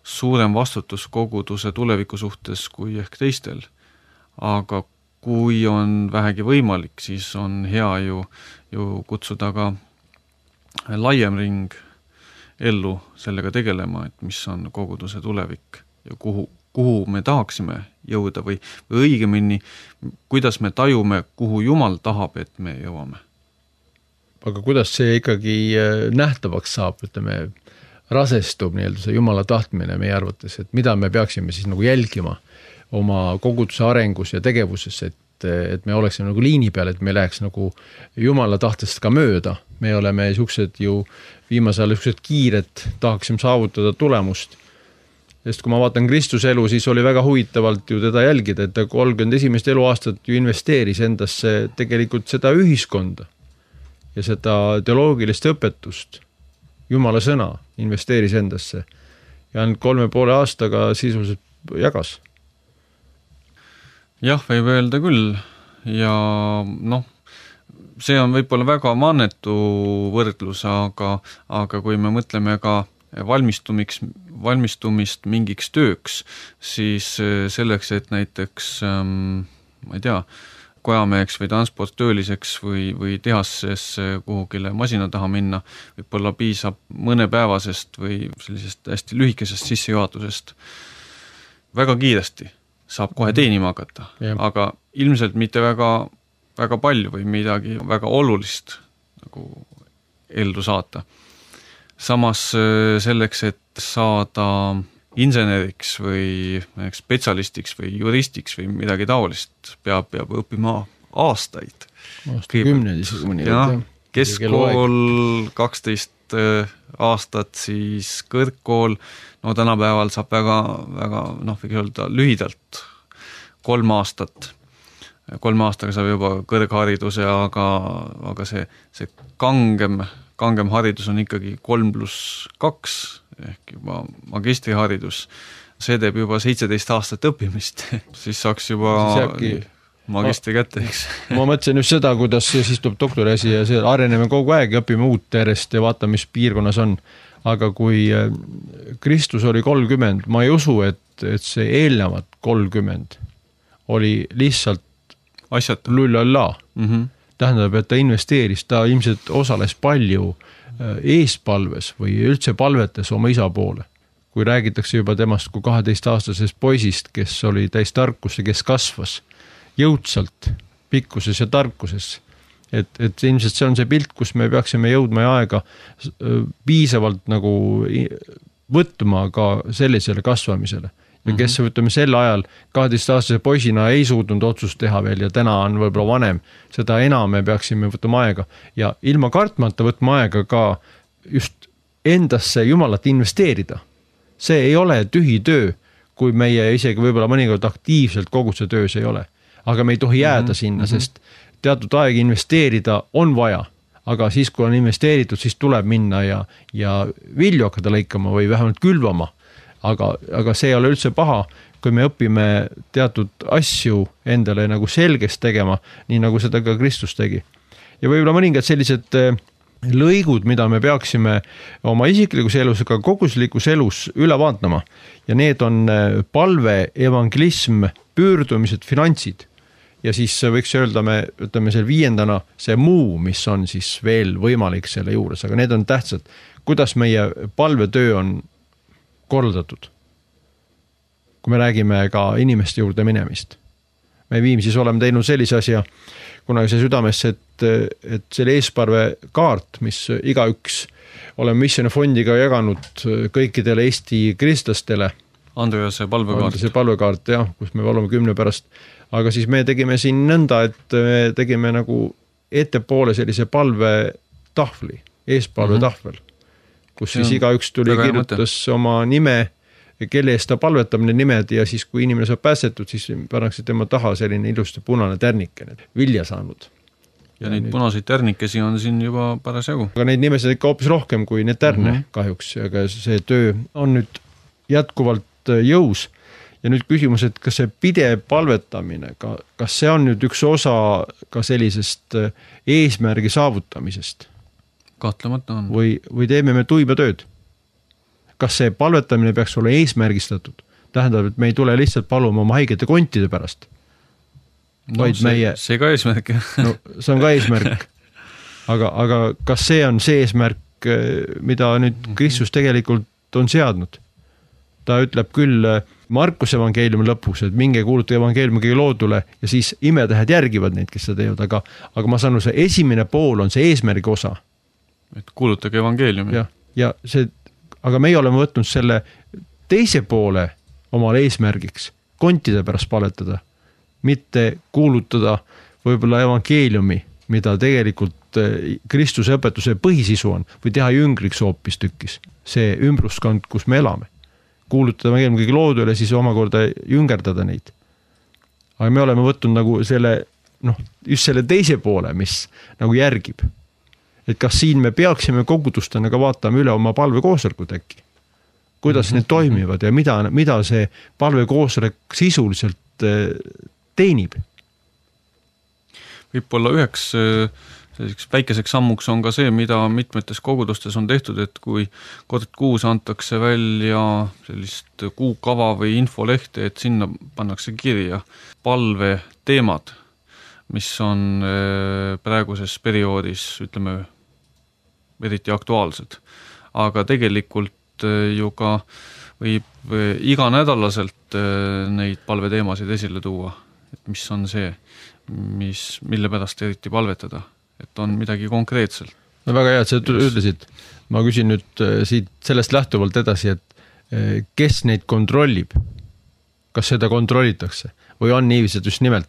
suurem vastutus koguduse tuleviku suhtes kui ehk teistel. Aga kui on vähegi võimalik, siis on hea ju kutsuda ka laiem ring ellu sellega tegelema, et mis on koguduse tulevik ja kuhu me tahaksime jõuda või õigemini, kuidas me tajume, kuhu Jumal tahab, et me jõuame. Aga kuidas see ikkagi nähtavaks saab, ütleme, rasestub nii-öelda see Jumala tahtmine meie arvates, et mida me peaksime siis nagu jälgima oma koguduse arengus ja tegevuses, et me oleksime nagu liini peal, et me läheks nagu Jumala tahtest ka mööda. Me oleme siuksed ju viimasel siuksed kiired, tahaksime saavutada tulemust. Sest kui ma vaatan Kristuse elu, siis oli väga huvitavalt ju teda jälgida, et ta 31. eluaastat ju investeeris endasse tegelikult seda ühiskonda ja seda teoloogilist õpetust. Jumala sõna investeeris endasse ja 3,5 aastaga sisuliselt jagas. Jah, võib öelda küll ja see on võib-olla väga mannetu võrdlus, aga kui me mõtleme ka valmistumist mingiks tööks, siis selleks, et näiteks, ma ei tea, kojameheks või transporttööliseks või tehases kuhugile masina taha minna, võib-olla piisab mõnepäevasest või sellisest hästi lühikesest sissejuhatusest. Väga kiiresti saab kohe teenima hakata, aga ilmselt mitte väga palju või midagi väga olulist nagu ellu saata. samas selleks, et saada inseneriks või spetsialistiks või juristiks või midagi taolist, peab õppima aastaid. Aastakümneid isegi mõni. Keskkool 12 aastat, siis kõrgkool, no tänapäeval saab väga, võiks öelda lühidalt 3 aastat. 3 aastaga saab juba kõrghariduse, aga see kangem haridus on ikkagi 3+2 ehk juba magistriharidus. See teeb juba 17 aastat õppimist, siis saaks juba magistri kätte, eks. Ma mõtlesin just seda, kuidas siis tuleb doktoriasi ja areneme kogu aeg ja õpime uut järjest ja vaatame, mis piirkonnas on. Aga kui Kristus oli 30, ma ei usu, et see eelnevad 30 oli lihtsalt asjata. Lullalla. Tähendab, et ta investeeris, ta ilmselt osales palju eespalves või üldse palvetes oma isa poole. Kui räägitakse juba temast kui 12-aastasest poisist, kes oli täis tarkus ja kes kasvas jõudsalt pikkuses ja tarkuses. Et ilmselt see on see pilt, kus me peaksime jõudma ja aega piisavalt nagu võtma ka sellisele kasvamisele. Ja kes võtame sel ajal 12-aastase poisina ei suutnud otsust teha veel ja täna on võib-olla vanem, seda enam me peaksime võtma aega ja ilma kartmata võtma aega ka just endasse Jumalat investeerida. See ei ole tühi töö, kui meie isegi võib-olla mõnikord aktiivselt kogu see töös ei ole. Aga me ei tohi jääda sinna, sest teatud aeg investeerida on vaja, aga siis, kui on investeeritud, siis tuleb minna ja vilju hakata lõikama või vähemalt külvama. Aga see ei ole üldse paha, kui me õpime teatud asju endale nagu selgeks tegema, nii nagu seda ka Kristus tegi. Ja võib-olla mõningad sellised lõigud, mida me peaksime oma isiklikus elus, aga koguslikus elus üle vaatama. Ja need on palve, evangelism, pöördumised, finantsid. Ja siis võiks öelda, me ütleme seal 5. see muu, mis on siis veel võimalik selle juures, aga need on tähtsad. Kuidas meie palvetöö on korraldatud? Kui me räägime ka inimeste juurde minemist. Me Viimsis oleme teinud sellise asja, kunagi see südamesse, et selle eesparve kaart, mis igaüks oleme missioonifondiga jaganud kõikidele Eesti kristlastele. Andrease palvekaart. Andrease palvekaart, jah, kus me oleme 10 pärast. Aga siis me tegime siin nõnda, et me tegime nagu ettepoole sellise palvetahvli, eespalve tahvel, kus siis igaüks tuli kirjutas oma nime, kelle eest ta palvetab need nimed ja siis, kui inimene saab päästetud, siis pannakse tema taha selline ilusti punane tärnike, vilja saanud. Ja neid punaseid tärnikesi on siin juba parasjagu. Aga neid nimesid ikka hoopis rohkem kui need tärne kahjuks, aga see töö on nüüd jätkuvalt jõus. Ja nüüd küsimus, et kas see pidev palvetamine, kas see on nüüd üks osa ka sellisest eesmärgi saavutamisest? Kahtlemata on. Või teeme me tuiba tööd? Kas see palvetamine peaks olla eesmärgistatud? Tähendab, et me ei tule lihtsalt paluma oma haigete kontide pärast. No, see ka eesmärk. No, see on ka eesmärk. Aga kas see on see eesmärk, mida nüüd Kristus tegelikult on seadnud? Ta ütleb küll Markuse evangeeliumi lõpus, et minge kuuluta evangeeliumi loodule ja siis imetähed järgivad neid, kes seda teevad, aga ma saan see esimene pool on see eesmärgi osa. Et kuulutage evangeeliumi. Ja see, aga meie oleme võtnud selle teise poole omale eesmärgiks, kontide pärast palvetada, mitte kuulutada võib-olla evangeeliumi, mida tegelikult Kristuse õpetuse põhisisu on, või teha jüngriks hoopis tükkis. See ümbruskond, kus me elame. Kuulutada evangeeliumi kõigi loodule, siis omakorda jüngerdada neid. Aga me oleme võtnud nagu selle, just selle teise poole, mis nagu järgib. Et kas siin me peaksime kogudustena ka vaatama üle oma palvekoosolekut äkki? Kuidas need toimivad ja mida see palvekoosolek sisuliselt teenib? Võib-olla üheks väikeseks sammuks on ka see, mida mitmetes kogudustes on tehtud, et kui kord kuus antakse välja sellist kuukava või infolehte, et sinna pannakse kirja palve teemad, mis on praeguses perioodis, ütleme, eriti aktuaalsed. Aga tegelikult ju ka võib iganädalaselt neid palveteemasid esile tuua, et mis on see, mille pärast eriti palvetada. Et on midagi konkreetselt. No väga hea, et sa ütlesid. ma küsin nüüd siit sellest lähtuvalt edasi, et kes neid kontrollib? Kas seda kontrollitakse? Või on niiviisi, et just nimelt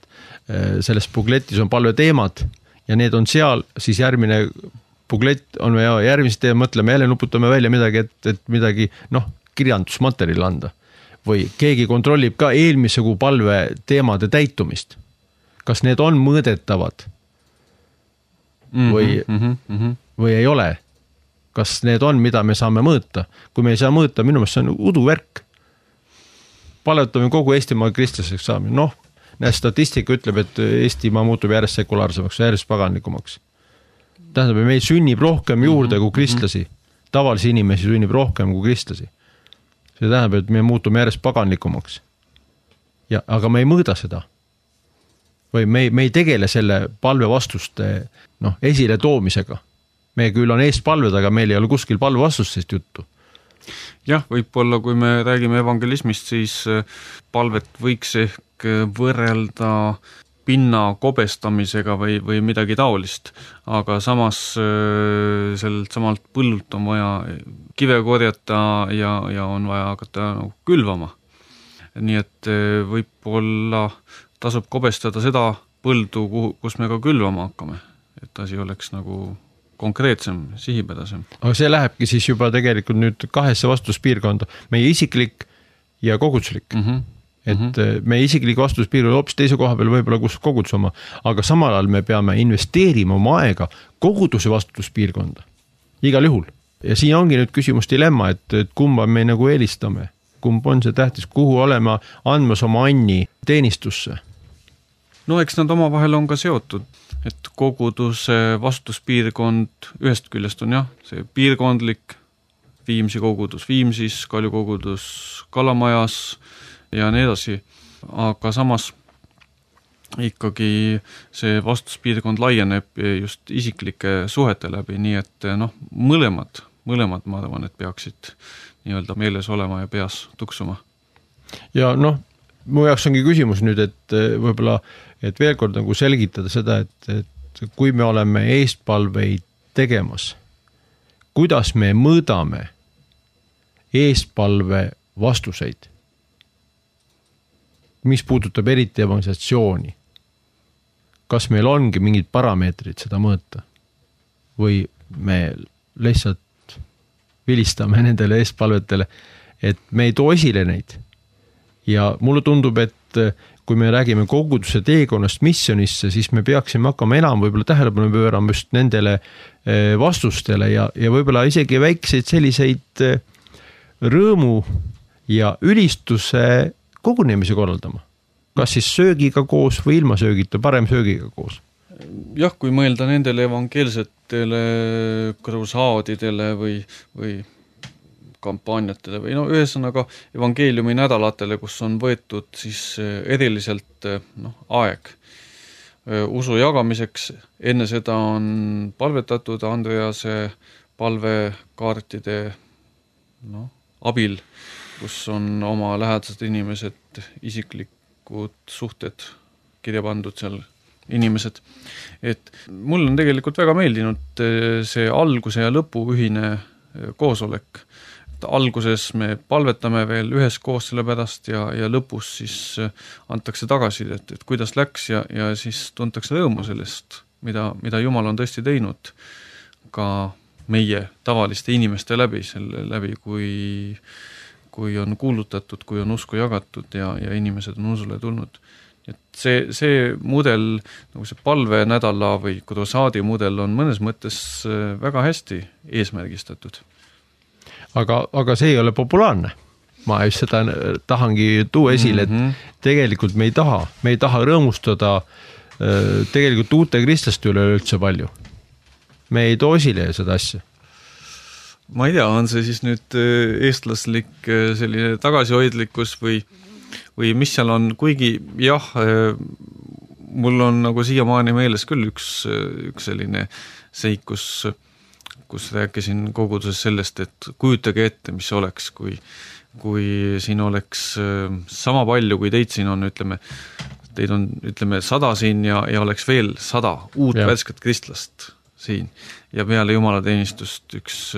selles bukletis on palveteemad ja need on seal, siis järgmine buklett on me järgmisest teema, mõtleme jälle, nuputame välja midagi, et midagi, kirjandusmaterjali anda. Või keegi kontrollib ka eelmise kuu palve teemade täitumist. Kas need on mõõdetavad või ei ole? Kas need on, mida me saame mõõta? Kui me ei saa mõõta, minu meelest see on uduvärk. Palvetame kogu Eestimaa kristlaseks saamine. Statistika ütleb, et Eestimaa muutub järjest sekulaarsemaks, järjest paganlikumaks. Tähendab, meil sünnib rohkem juurde kui kristlasi. Tavalisi inimesi sünnib rohkem kui kristlasi. See tähendab, et me muutume järjest paganlikumaks. Aga me ei mõõda seda. Või me ei tegele selle palve vastuste esile toomisega. Me küll on eest palved, aga meil ei ole kuskil palve vastustest juttu. Jah, võib-olla kui me räägime evangelismist, siis palvet võiks ehk võrrelda pinna kobestamisega või midagi taolist, aga samas sellelt samalt põllult on vaja kive korjata ja on vaja hakata külvama. Nii et võib-olla tasub kobestada seda põldu, kus me ka külvama hakkame, et asi oleks nagu konkreetsem, sihipedasem. Aga see lähebki siis juba tegelikult nüüd kahesse vastuspiirkonda, meie isiklik ja koguduslik. Et meie isiklik vastuspiirkond hoopis teise koha peal võib-olla kus kogudus oma, aga samal ajal me peame investeerima oma aega koguduse vastuspiirkonda. Igal juhul. Ja siin ongi nüüd küsimus dilemma, et kumba me nagu eelistame. Kumb on see tähtis, kuhu olema andmas oma anni teenistusse? Eks nad omavahel on ka seotud, et koguduse vastuspiirkond ühest küljest on see piirkondlik Viimsi kogudus, Viimsis, Kalju kogudus, Kalamajas ja nii edasi, aga samas ikkagi see vastuspiirkond laieneb just isiklike suhete läbi, nii et mõlemad ma arvan, et peaksid nii-öelda meeles olema ja peas tuksuma. Ja mu jaoks ongi küsimus nüüd, et võib-olla, et veel kord nagu selgitada seda, et kui me oleme eestpalveid tegemas, kuidas me mõõdame eestpalve vastuseid, mis puudutab eriti evangelisatsiooni. Kas meil ongi mingid parameetrid seda mõõta või me lihtsalt vilistame nendele eestpalvetele, et me ei too esile neid. Ja mulle tundub, et kui me räägime koguduse teekonnast missionisse, siis me peaksime hakkama enam võib-olla tähelepanu pöörama just nendele vastustele ja võib-olla isegi väikseid selliseid rõõmu ja ülistuse kogunemise korraldama. Kas siis söögiga koos või ilma söögita, parem söögiga koos? Jah, kui mõelda nendele evangeelsetele kruusaadidele või kampaaniatele või ühesõnaga evangeeliumi nädalatele, kus on võetud siis eriliselt aeg usu jagamiseks. Enne seda on palvetatud Andrease palvekaartide abil, kus on oma lähedased inimesed, isiklikud suhted kirja pandud seal inimesed. Et mul on tegelikult väga meeldinud see alguse ja lõpu ühine koosolek. Alguses me palvetame veel üheskoos selle pärast ja lõpus siis antakse tagasi, et kuidas läks ja siis tuntakse rõõmu sellest, mida Jumal on tõesti teinud ka meie tavaliste inimeste läbi, selle läbi, kui on kuulutatud, kui on usku jagatud ja inimesed on usule tulnud. Et see mudel, nagu see palvenädala või kruusaadi mudel on mõnes mõttes väga hästi eesmärgistatud. Aga see ei ole populaarne. Ma just seda tahangi tuua esile, et tegelikult me ei taha rõõmustada tegelikult uute kristlaste üle üldse palju. Me ei too esile seda asja. Ma ei tea, on see siis nüüd eestlaslik selline tagasihoidlikkus või mis seal on, kuigi jah, mul on nagu siiamaani meeles küll üks selline seik, kus rääkisin koguduses sellest, et kujutage ette, mis oleks, kui siin oleks sama palju, kui teid siin on, teid on 100 siin ja oleks veel 100 uut värsket kristlast siin ja peale jumalateenistust üks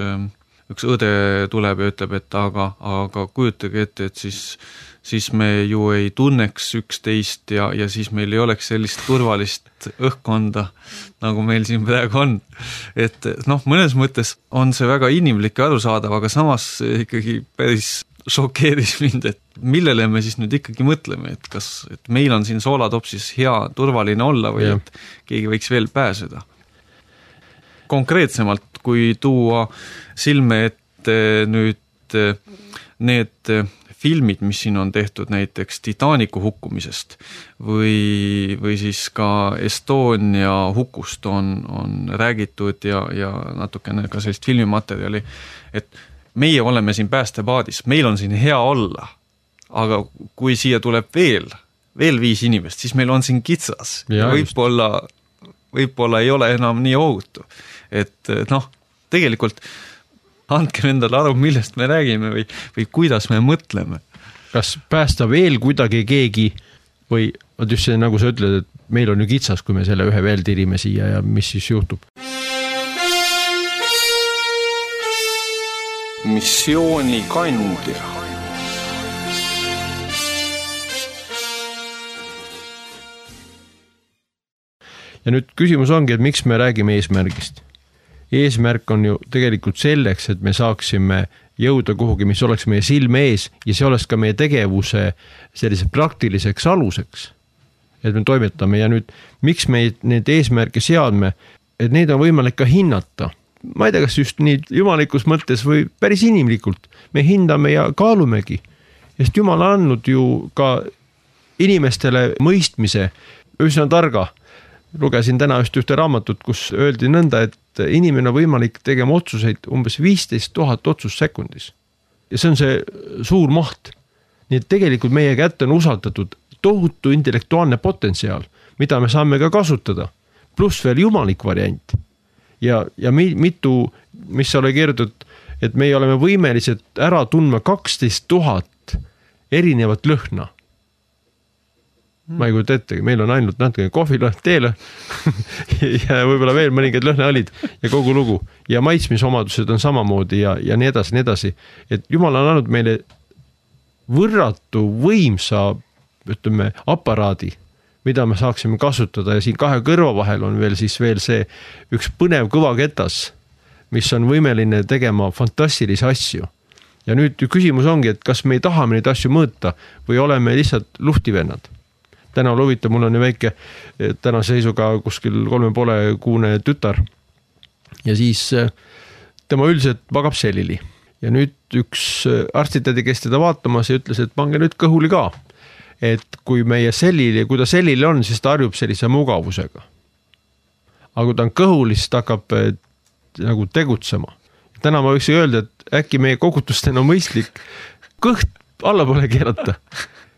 õde tuleb ja ütleb, et aga kujutage ette, et siis me ju ei tunneks üksteist ja siis meil ei oleks sellist turvalist õhkkonda, nagu meil siin praegu on. Et mõnes mõttes on see väga inimlik ja arusaadav, aga samas ikkagi päris šokeeris mind, et millele me siis nüüd ikkagi mõtleme, et meil on siin Soolatopsis hea turvaline olla või et keegi võiks veel pääseda. Konkreetsemalt, kui tuua silme ette nüüd need filmid, mis siin on tehtud näiteks Titanicu hukkumisest või siis ka Estonia hukust on räägitud ja natukene ka sellist filmimaterjali, et meie oleme siin päästepaadis, meil on siin hea olla, aga kui siia tuleb veel 5 inimest, siis meil on siin kitsas ja võib-olla ei ole enam nii ohutu. Et tegelikult andke endale aru, millest me räägime või kuidas me mõtleme. Kas päästa veel kuidagi keegi või just see, nagu sa ütled, et meil on ju kitsas, kui me selle ühe veel tirime siia ja mis siis juhtub? Missioonikandja. Ja nüüd küsimus ongi, et miks me räägime eesmärgist? Eesmärk on ju tegelikult selleks, et me saaksime jõuda kuhugi, mis oleks meie silme ees ja see oleks ka meie tegevuse sellise praktiliseks aluseks, et me toimetame. Ja nüüd, miks me need eesmärke seadme, et neid on võimalik ka hinnata. Ma ei tea, kas just nii jumalikus mõttes või päris inimlikult. Me hindame ja kaalumegi, sest Jumal on andnud ju ka inimestele mõistmise, üsna targa. Lugesin täna just ühte raamatut, kus öeldi nõnda, et inimene on võimalik tegema otsuseid umbes 15 000 otsust sekundis. Ja see on see suur maht. Nii et tegelikult meie kätte on usaldatud tohutu intellektuaalne potentsiaal, mida me saame ka kasutada. Pluss veel jumalik variant. Ja mitu, mis ole kirjutatud, et me oleme võimelised ära tundma 12 000 erinevat lõhna. Ma ei kujuta ette, meil on ainult natuke kohvilõhn, teelõhn ja võib-olla veel mõningad lõhnaõlid ja kogu lugu. Ja maitsmisomadused on samamoodi ja nii edasi. Et Jumal on andnud meile võrratu võimsa, ütleme, aparaadi, mida me saaksime kasutada ja siin 2 kõrva vahel on veel see üks põnev kõvaketas, mis on võimeline tegema fantastilisi asju. Ja nüüd küsimus ongi, et kas me ei tahame neid asju mõõta või oleme lihtsalt luhtivennad. Täna oli huvitav, mul on ju väike tänase seisuga kuskil 3,5 kuune tütar ja siis tema üldiselt magab selili. Ja nüüd üks arstitädi, kes teda vaatamas ja ütles, et pange nüüd kõhuli ka. Et kui meie sellili, kui ta sellili on, siis ta harjub sellise mugavusega. Aga kui ta on kõhuli, siis ta hakkab nagu tegutsema. Täna ma võiks öelda, et äkki meie kogutusten on mõistlik kõht allapoole keerata.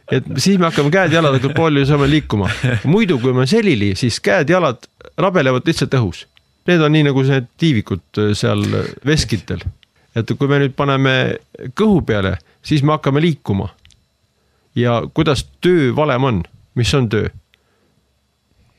Et siis me hakkame käed-jalad palju saame liikuma. Muidu, kui me on selili, siis käed-jalad rabelevad lihtsalt õhus. Need on nii nagu need tiivikud seal veskitel. Et kui me nüüd paneme kõhu peale, siis me hakkame liikuma. Ja kuidas töö valem on? Mis on töö?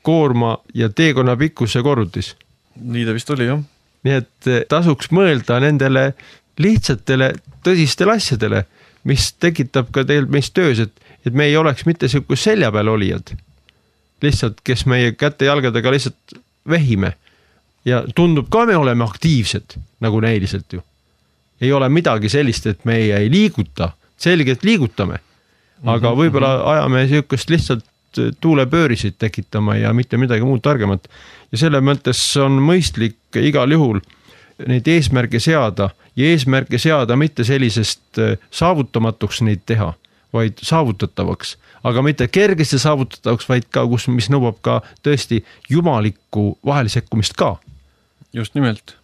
Koorma ja teekonna pikkuse korrutis. Nii ta vist oli, jah. Nii et tasuks mõelda nendele lihtsatele tõsistele asjadele, mis tekitab ka teil meist töös, et me ei oleks mitte selline selja peal olijad, lihtsalt kes meie käte-jalgadega lihtsalt vehime ja tundub ka me oleme aktiivsed, nagu näiliselt ju. Ei ole midagi sellist, et me ei liiguta, selgelt liigutame, aga võib-olla ajame sellisest lihtsalt tuulepöörisid tekitama ja mitte midagi muud targemat. Ja selle mõttes on mõistlik igal juhul neid eesmärke seada ja eesmärke seada mitte sellisest saavutamatuks neid teha, vaid saavutatavaks, aga mitte kergesti saavutatavaks, vaid ka, mis nõuab ka tõesti jumalikku vahelisekkumist ka. Just nimelt.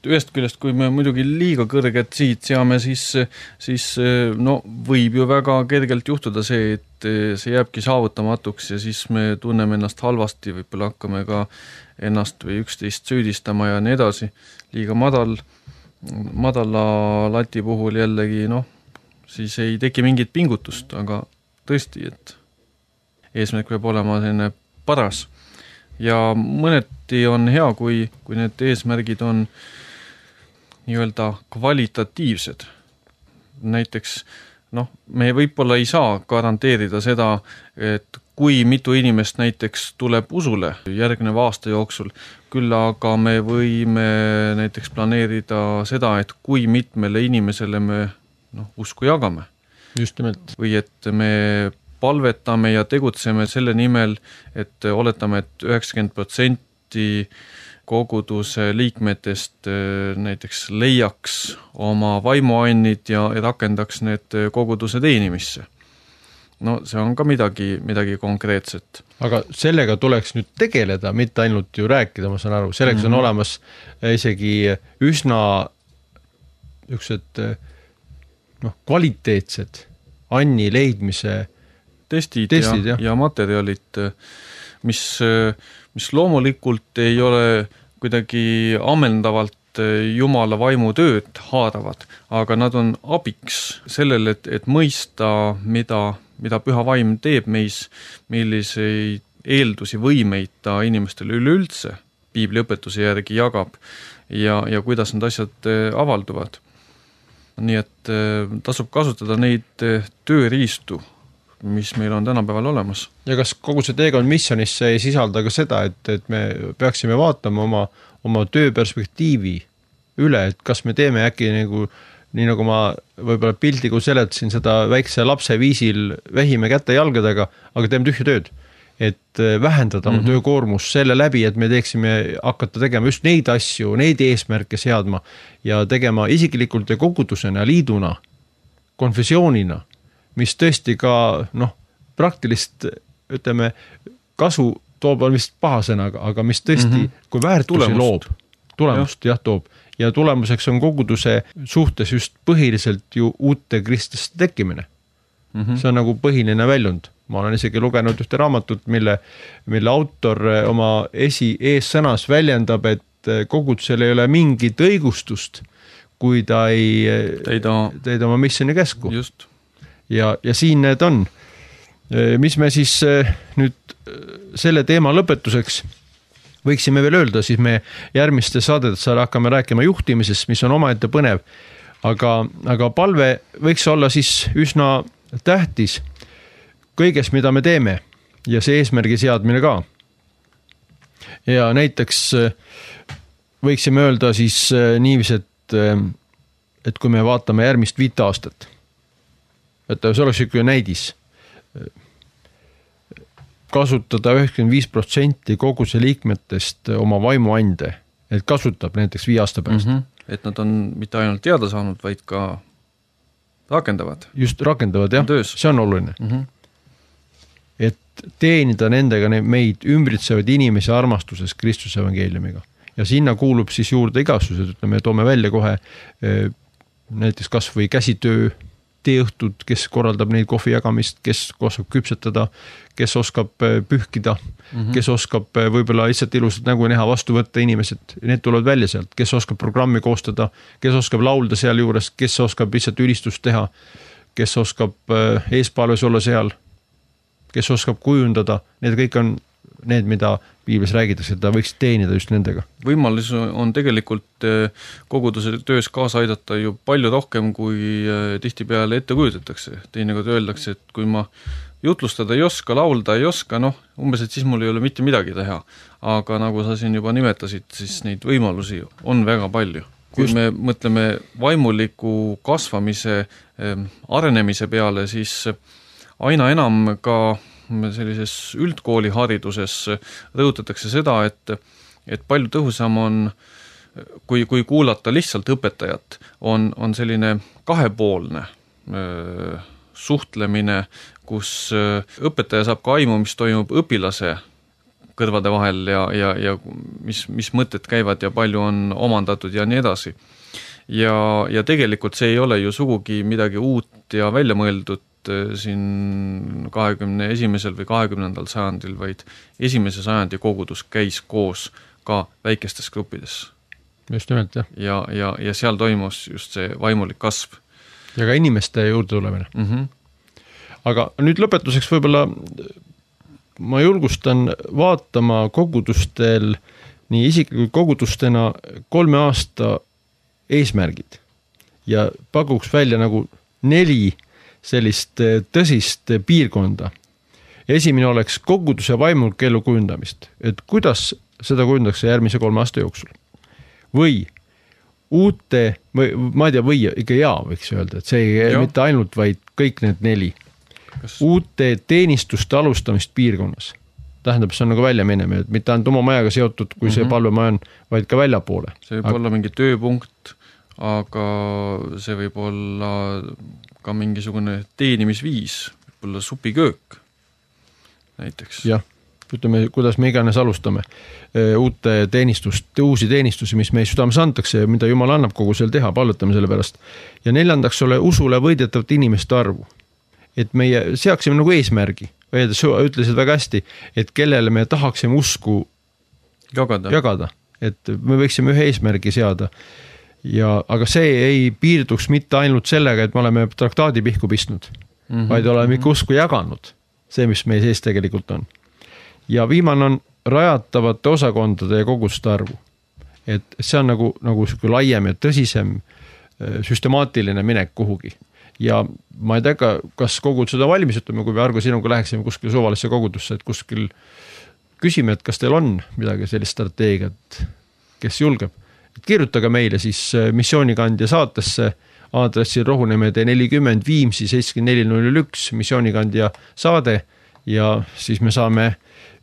Ühest küljest, kui me muidugi liiga kõrget siit seame, siis võib ju väga kergelt juhtuda see, et see jääbki saavutamatuks ja siis me tunneme ennast halvasti, võib-olla hakkame ka ennast või üksteist süüdistama ja nii edasi. Liiga madala lati puhul jällegi, siis ei teki mingit pingutust, aga tõesti, et eesmärk peab olema selline paras ja mõneti on hea, kui need eesmärgid on nii-öelda kvalitatiivsed. Näiteks me võib-olla ei saa garanteerida seda, et kui mitu inimest näiteks tuleb usule järgneva aasta jooksul, küll aga me võime näiteks planeerida seda, et kui mitmele inimesele me usku jagame. Just nimelt. Või et me palvetame ja tegutseme selle nimel, et oletame, et 90% koguduse liikmetest näiteks leiaks oma vaimuannid ja rakendaks need koguduse teenimisse. See on ka midagi konkreetset. Aga sellega tuleks nüüd tegeleda, mitte ainult ju rääkida, ma saan aru. Selleks on olemas isegi üsna üksed kvaliteetsed anni leidmise testid ja materjalid, mis loomulikult ei ole kuidagi ammendavalt Jumala vaimu tööd haaravad, aga nad on abiks sellele, et mõista, mida püha vaim teeb meis, milliseid eeldusi, võimeid ta inimestele üleüldse piibli õpetuse järgi jagab ja kuidas need asjad avalduvad. Nii et tasub kasutada neid tööriistu, mis meil on tänapäeval olemas. Ja kas kogu see teekond missionisse ei sisalda ka seda, et me peaksime vaatama oma tööperspektiivi üle, et kas me teeme äkki nii nagu ma võib-olla pildiga seletasin seda väikse lapse viisil vähime kätte jalgadega, aga teeme tühja tööd. Et vähendada oma töökoormus selle läbi, et me hakata tegema just neid asju, neid eesmärke seadma ja tegema isiklikult ja kogudusena, liiduna, konfessioonina, mis tõesti ka praktilist, ütleme, kasu toob on vist paha sõnaga, aga mis tõesti, kui väärtusi loob, tulemust toob. Ja tulemuseks on koguduse suhtes just põhiliselt ju uute kristlaste tekkimine. See on nagu põhiline väljund. Ma olen isegi lugenud ühte raamatut, mille autor oma eessõnas väljendab, et kogudusel ei ole mingit õigustust, kui ta ei teida oma missioni käsku. Just. Ja siin need on. Mis me siis nüüd selle teema lõpetuseks võiksime veel öelda, siis me järgmiste saadetes hakkame rääkima juhtimisest, mis on omaette põnev, aga palve võiks olla siis üsna tähtis kõiges, mida me teeme ja see eesmärgi seadmine ka. Ja näiteks võiksime öelda siis niivis, et kui me vaatame järgmist 5 aastat, et see oleks üks näidis, kasutada 95% kogu see liikmetest oma vaimuande, et kasutab näiteks 5 aasta pärast. Et nad on mitte ainult teada saanud, vaid ka rakendavad. Just rakendavad, jah. See on oluline. Et teenida nendega meid ümbritsevad inimese armastuses Kristuse evangeeliumiga. Ja sinna kuulub siis juurde igastused, ütleme, toome välja kohe näiteks kas või käsitöö, teeõhtud, kes korraldab neid kohvi jagamist, kes oskab küpsetada, kes oskab pühkida, kes oskab võib-olla lihtsalt ilusat nägu näha, vastu võtta inimesed, need tulevad välja sealt, kes oskab programmi koostada, kes oskab laulda seal juures, kes oskab lihtsalt ülistust teha, kes oskab eespalves olla seal, kes oskab kujundada, need kõik on need, mida piiblis räägitakse, et ta võiks teenida just nendega. Võimalus on tegelikult koguduse töös kaasa aidata ju palju rohkem, kui tihtipeale ette kujutatakse. Teinekord öeldakse, et kui ma jutlustada ei oska, laulda ei oska, umbes, et siis mul ei ole mitte midagi teha. Aga nagu sa siin juba nimetasid, siis neid võimalusi on väga palju. Kui me mõtleme vaimuliku kasvamise, arenemise peale, siis aina enam ka sellises üldkoolihariduses rõhutatakse seda, et palju tõhusam on, kui kuulata lihtsalt õpetajat, on selline kahepoolne suhtlemine, kus õpetaja saab ka aimu, mis toimub õpilase kõrvade vahel ja mis mõtted käivad ja palju on omandatud ja nii edasi. Ja tegelikult see ei ole ju sugugi midagi uut ja välja mõeldud siin 21. või 20. sajandil, vaid 1. sajandi kogudus käis koos ka väikestes gruppides. Just nimelt, jah. Ja seal toimus just see vaimulik kasv. Ja ka inimeste juurde tulemine. Aga nüüd lõpetuseks võib-olla ma julgustan vaatama kogudustel nii isiklikult kogudustena 3 aasta eesmärgid ja pakuks välja nagu 4 sellist tõsist piirkonda. Esimene oleks koguduse vaimulike elu kujundamist, et kuidas seda kujundatakse järgmise 3 aasta jooksul. Või uute, ma ei tea, või ikka võiks öelda, et see ei mitte ainult, vaid kõik need 4. Uute teenistuste alustamist piirkonnas. Tähendab, see on nagu välja minema, et mitte ainult oma majaga seotud, kui see palvemaja on, vaid ka väljapoole. See võib olla mingi tööpunkt, aga see võib olla ka mingisugune teenimisviis, võib olla supiköök näiteks. Jah, ütleme, kuidas me iganes alustame uusi teenistusi, mis meie südames antakse ja mida Jumal annab kogu seal teha, palvetame selle pärast. Ja 4. ole usule võidetavat inimeste arvu. Et meie seaksime nagu eesmärgi. Ütlesid väga hästi, et kellele me tahaksime usku jagada. Et me võiksime ühe eesmärgi seada. Aga see ei piirduks mitte ainult sellega, et me oleme traktaadi pihku pistnud, vaid oleme ikka usku jaganud. See, mis meie sees tegelikult on. Ja viimane on rajatavate osakondade ja koguste arvu. Et see on nagu laiem ja tõsisem süstemaatiline minek kuhugi. Ja ma ei tea, kas kogud seda valmis, ütleme, kui me Argo sinuga läheksime kuskil suvalisse kogudusse, et kuskil küsime, et kas teil on midagi sellist strateegiat, kes julgeb. Et kirjutage meile siis missioonikandja saatesse aadressil Rohunemäe 40 Viimsi 7401 missioonikandja saade ja siis me saame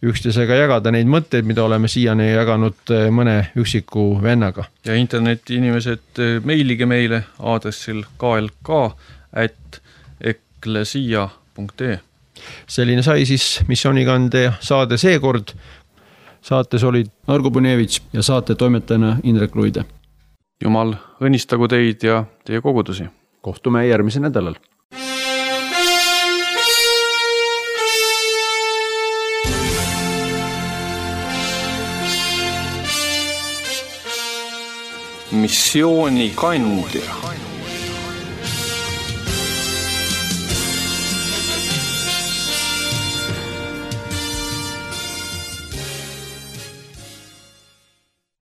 üksteisega jagada neid mõtteid, mida oleme siiani jaganud mõne üksiku vennaga. Ja interneti inimesed meilige meile aadressil klk@eklesia.ee. Selline sai siis missioonikandja saade seekord. Saates olid Argo Punevits ja saate toimetajana Indrek Luide. Jumal õnnistagu teid ja teie kogudusi. Kohtume järgmisel nädalal. Missioonikandja.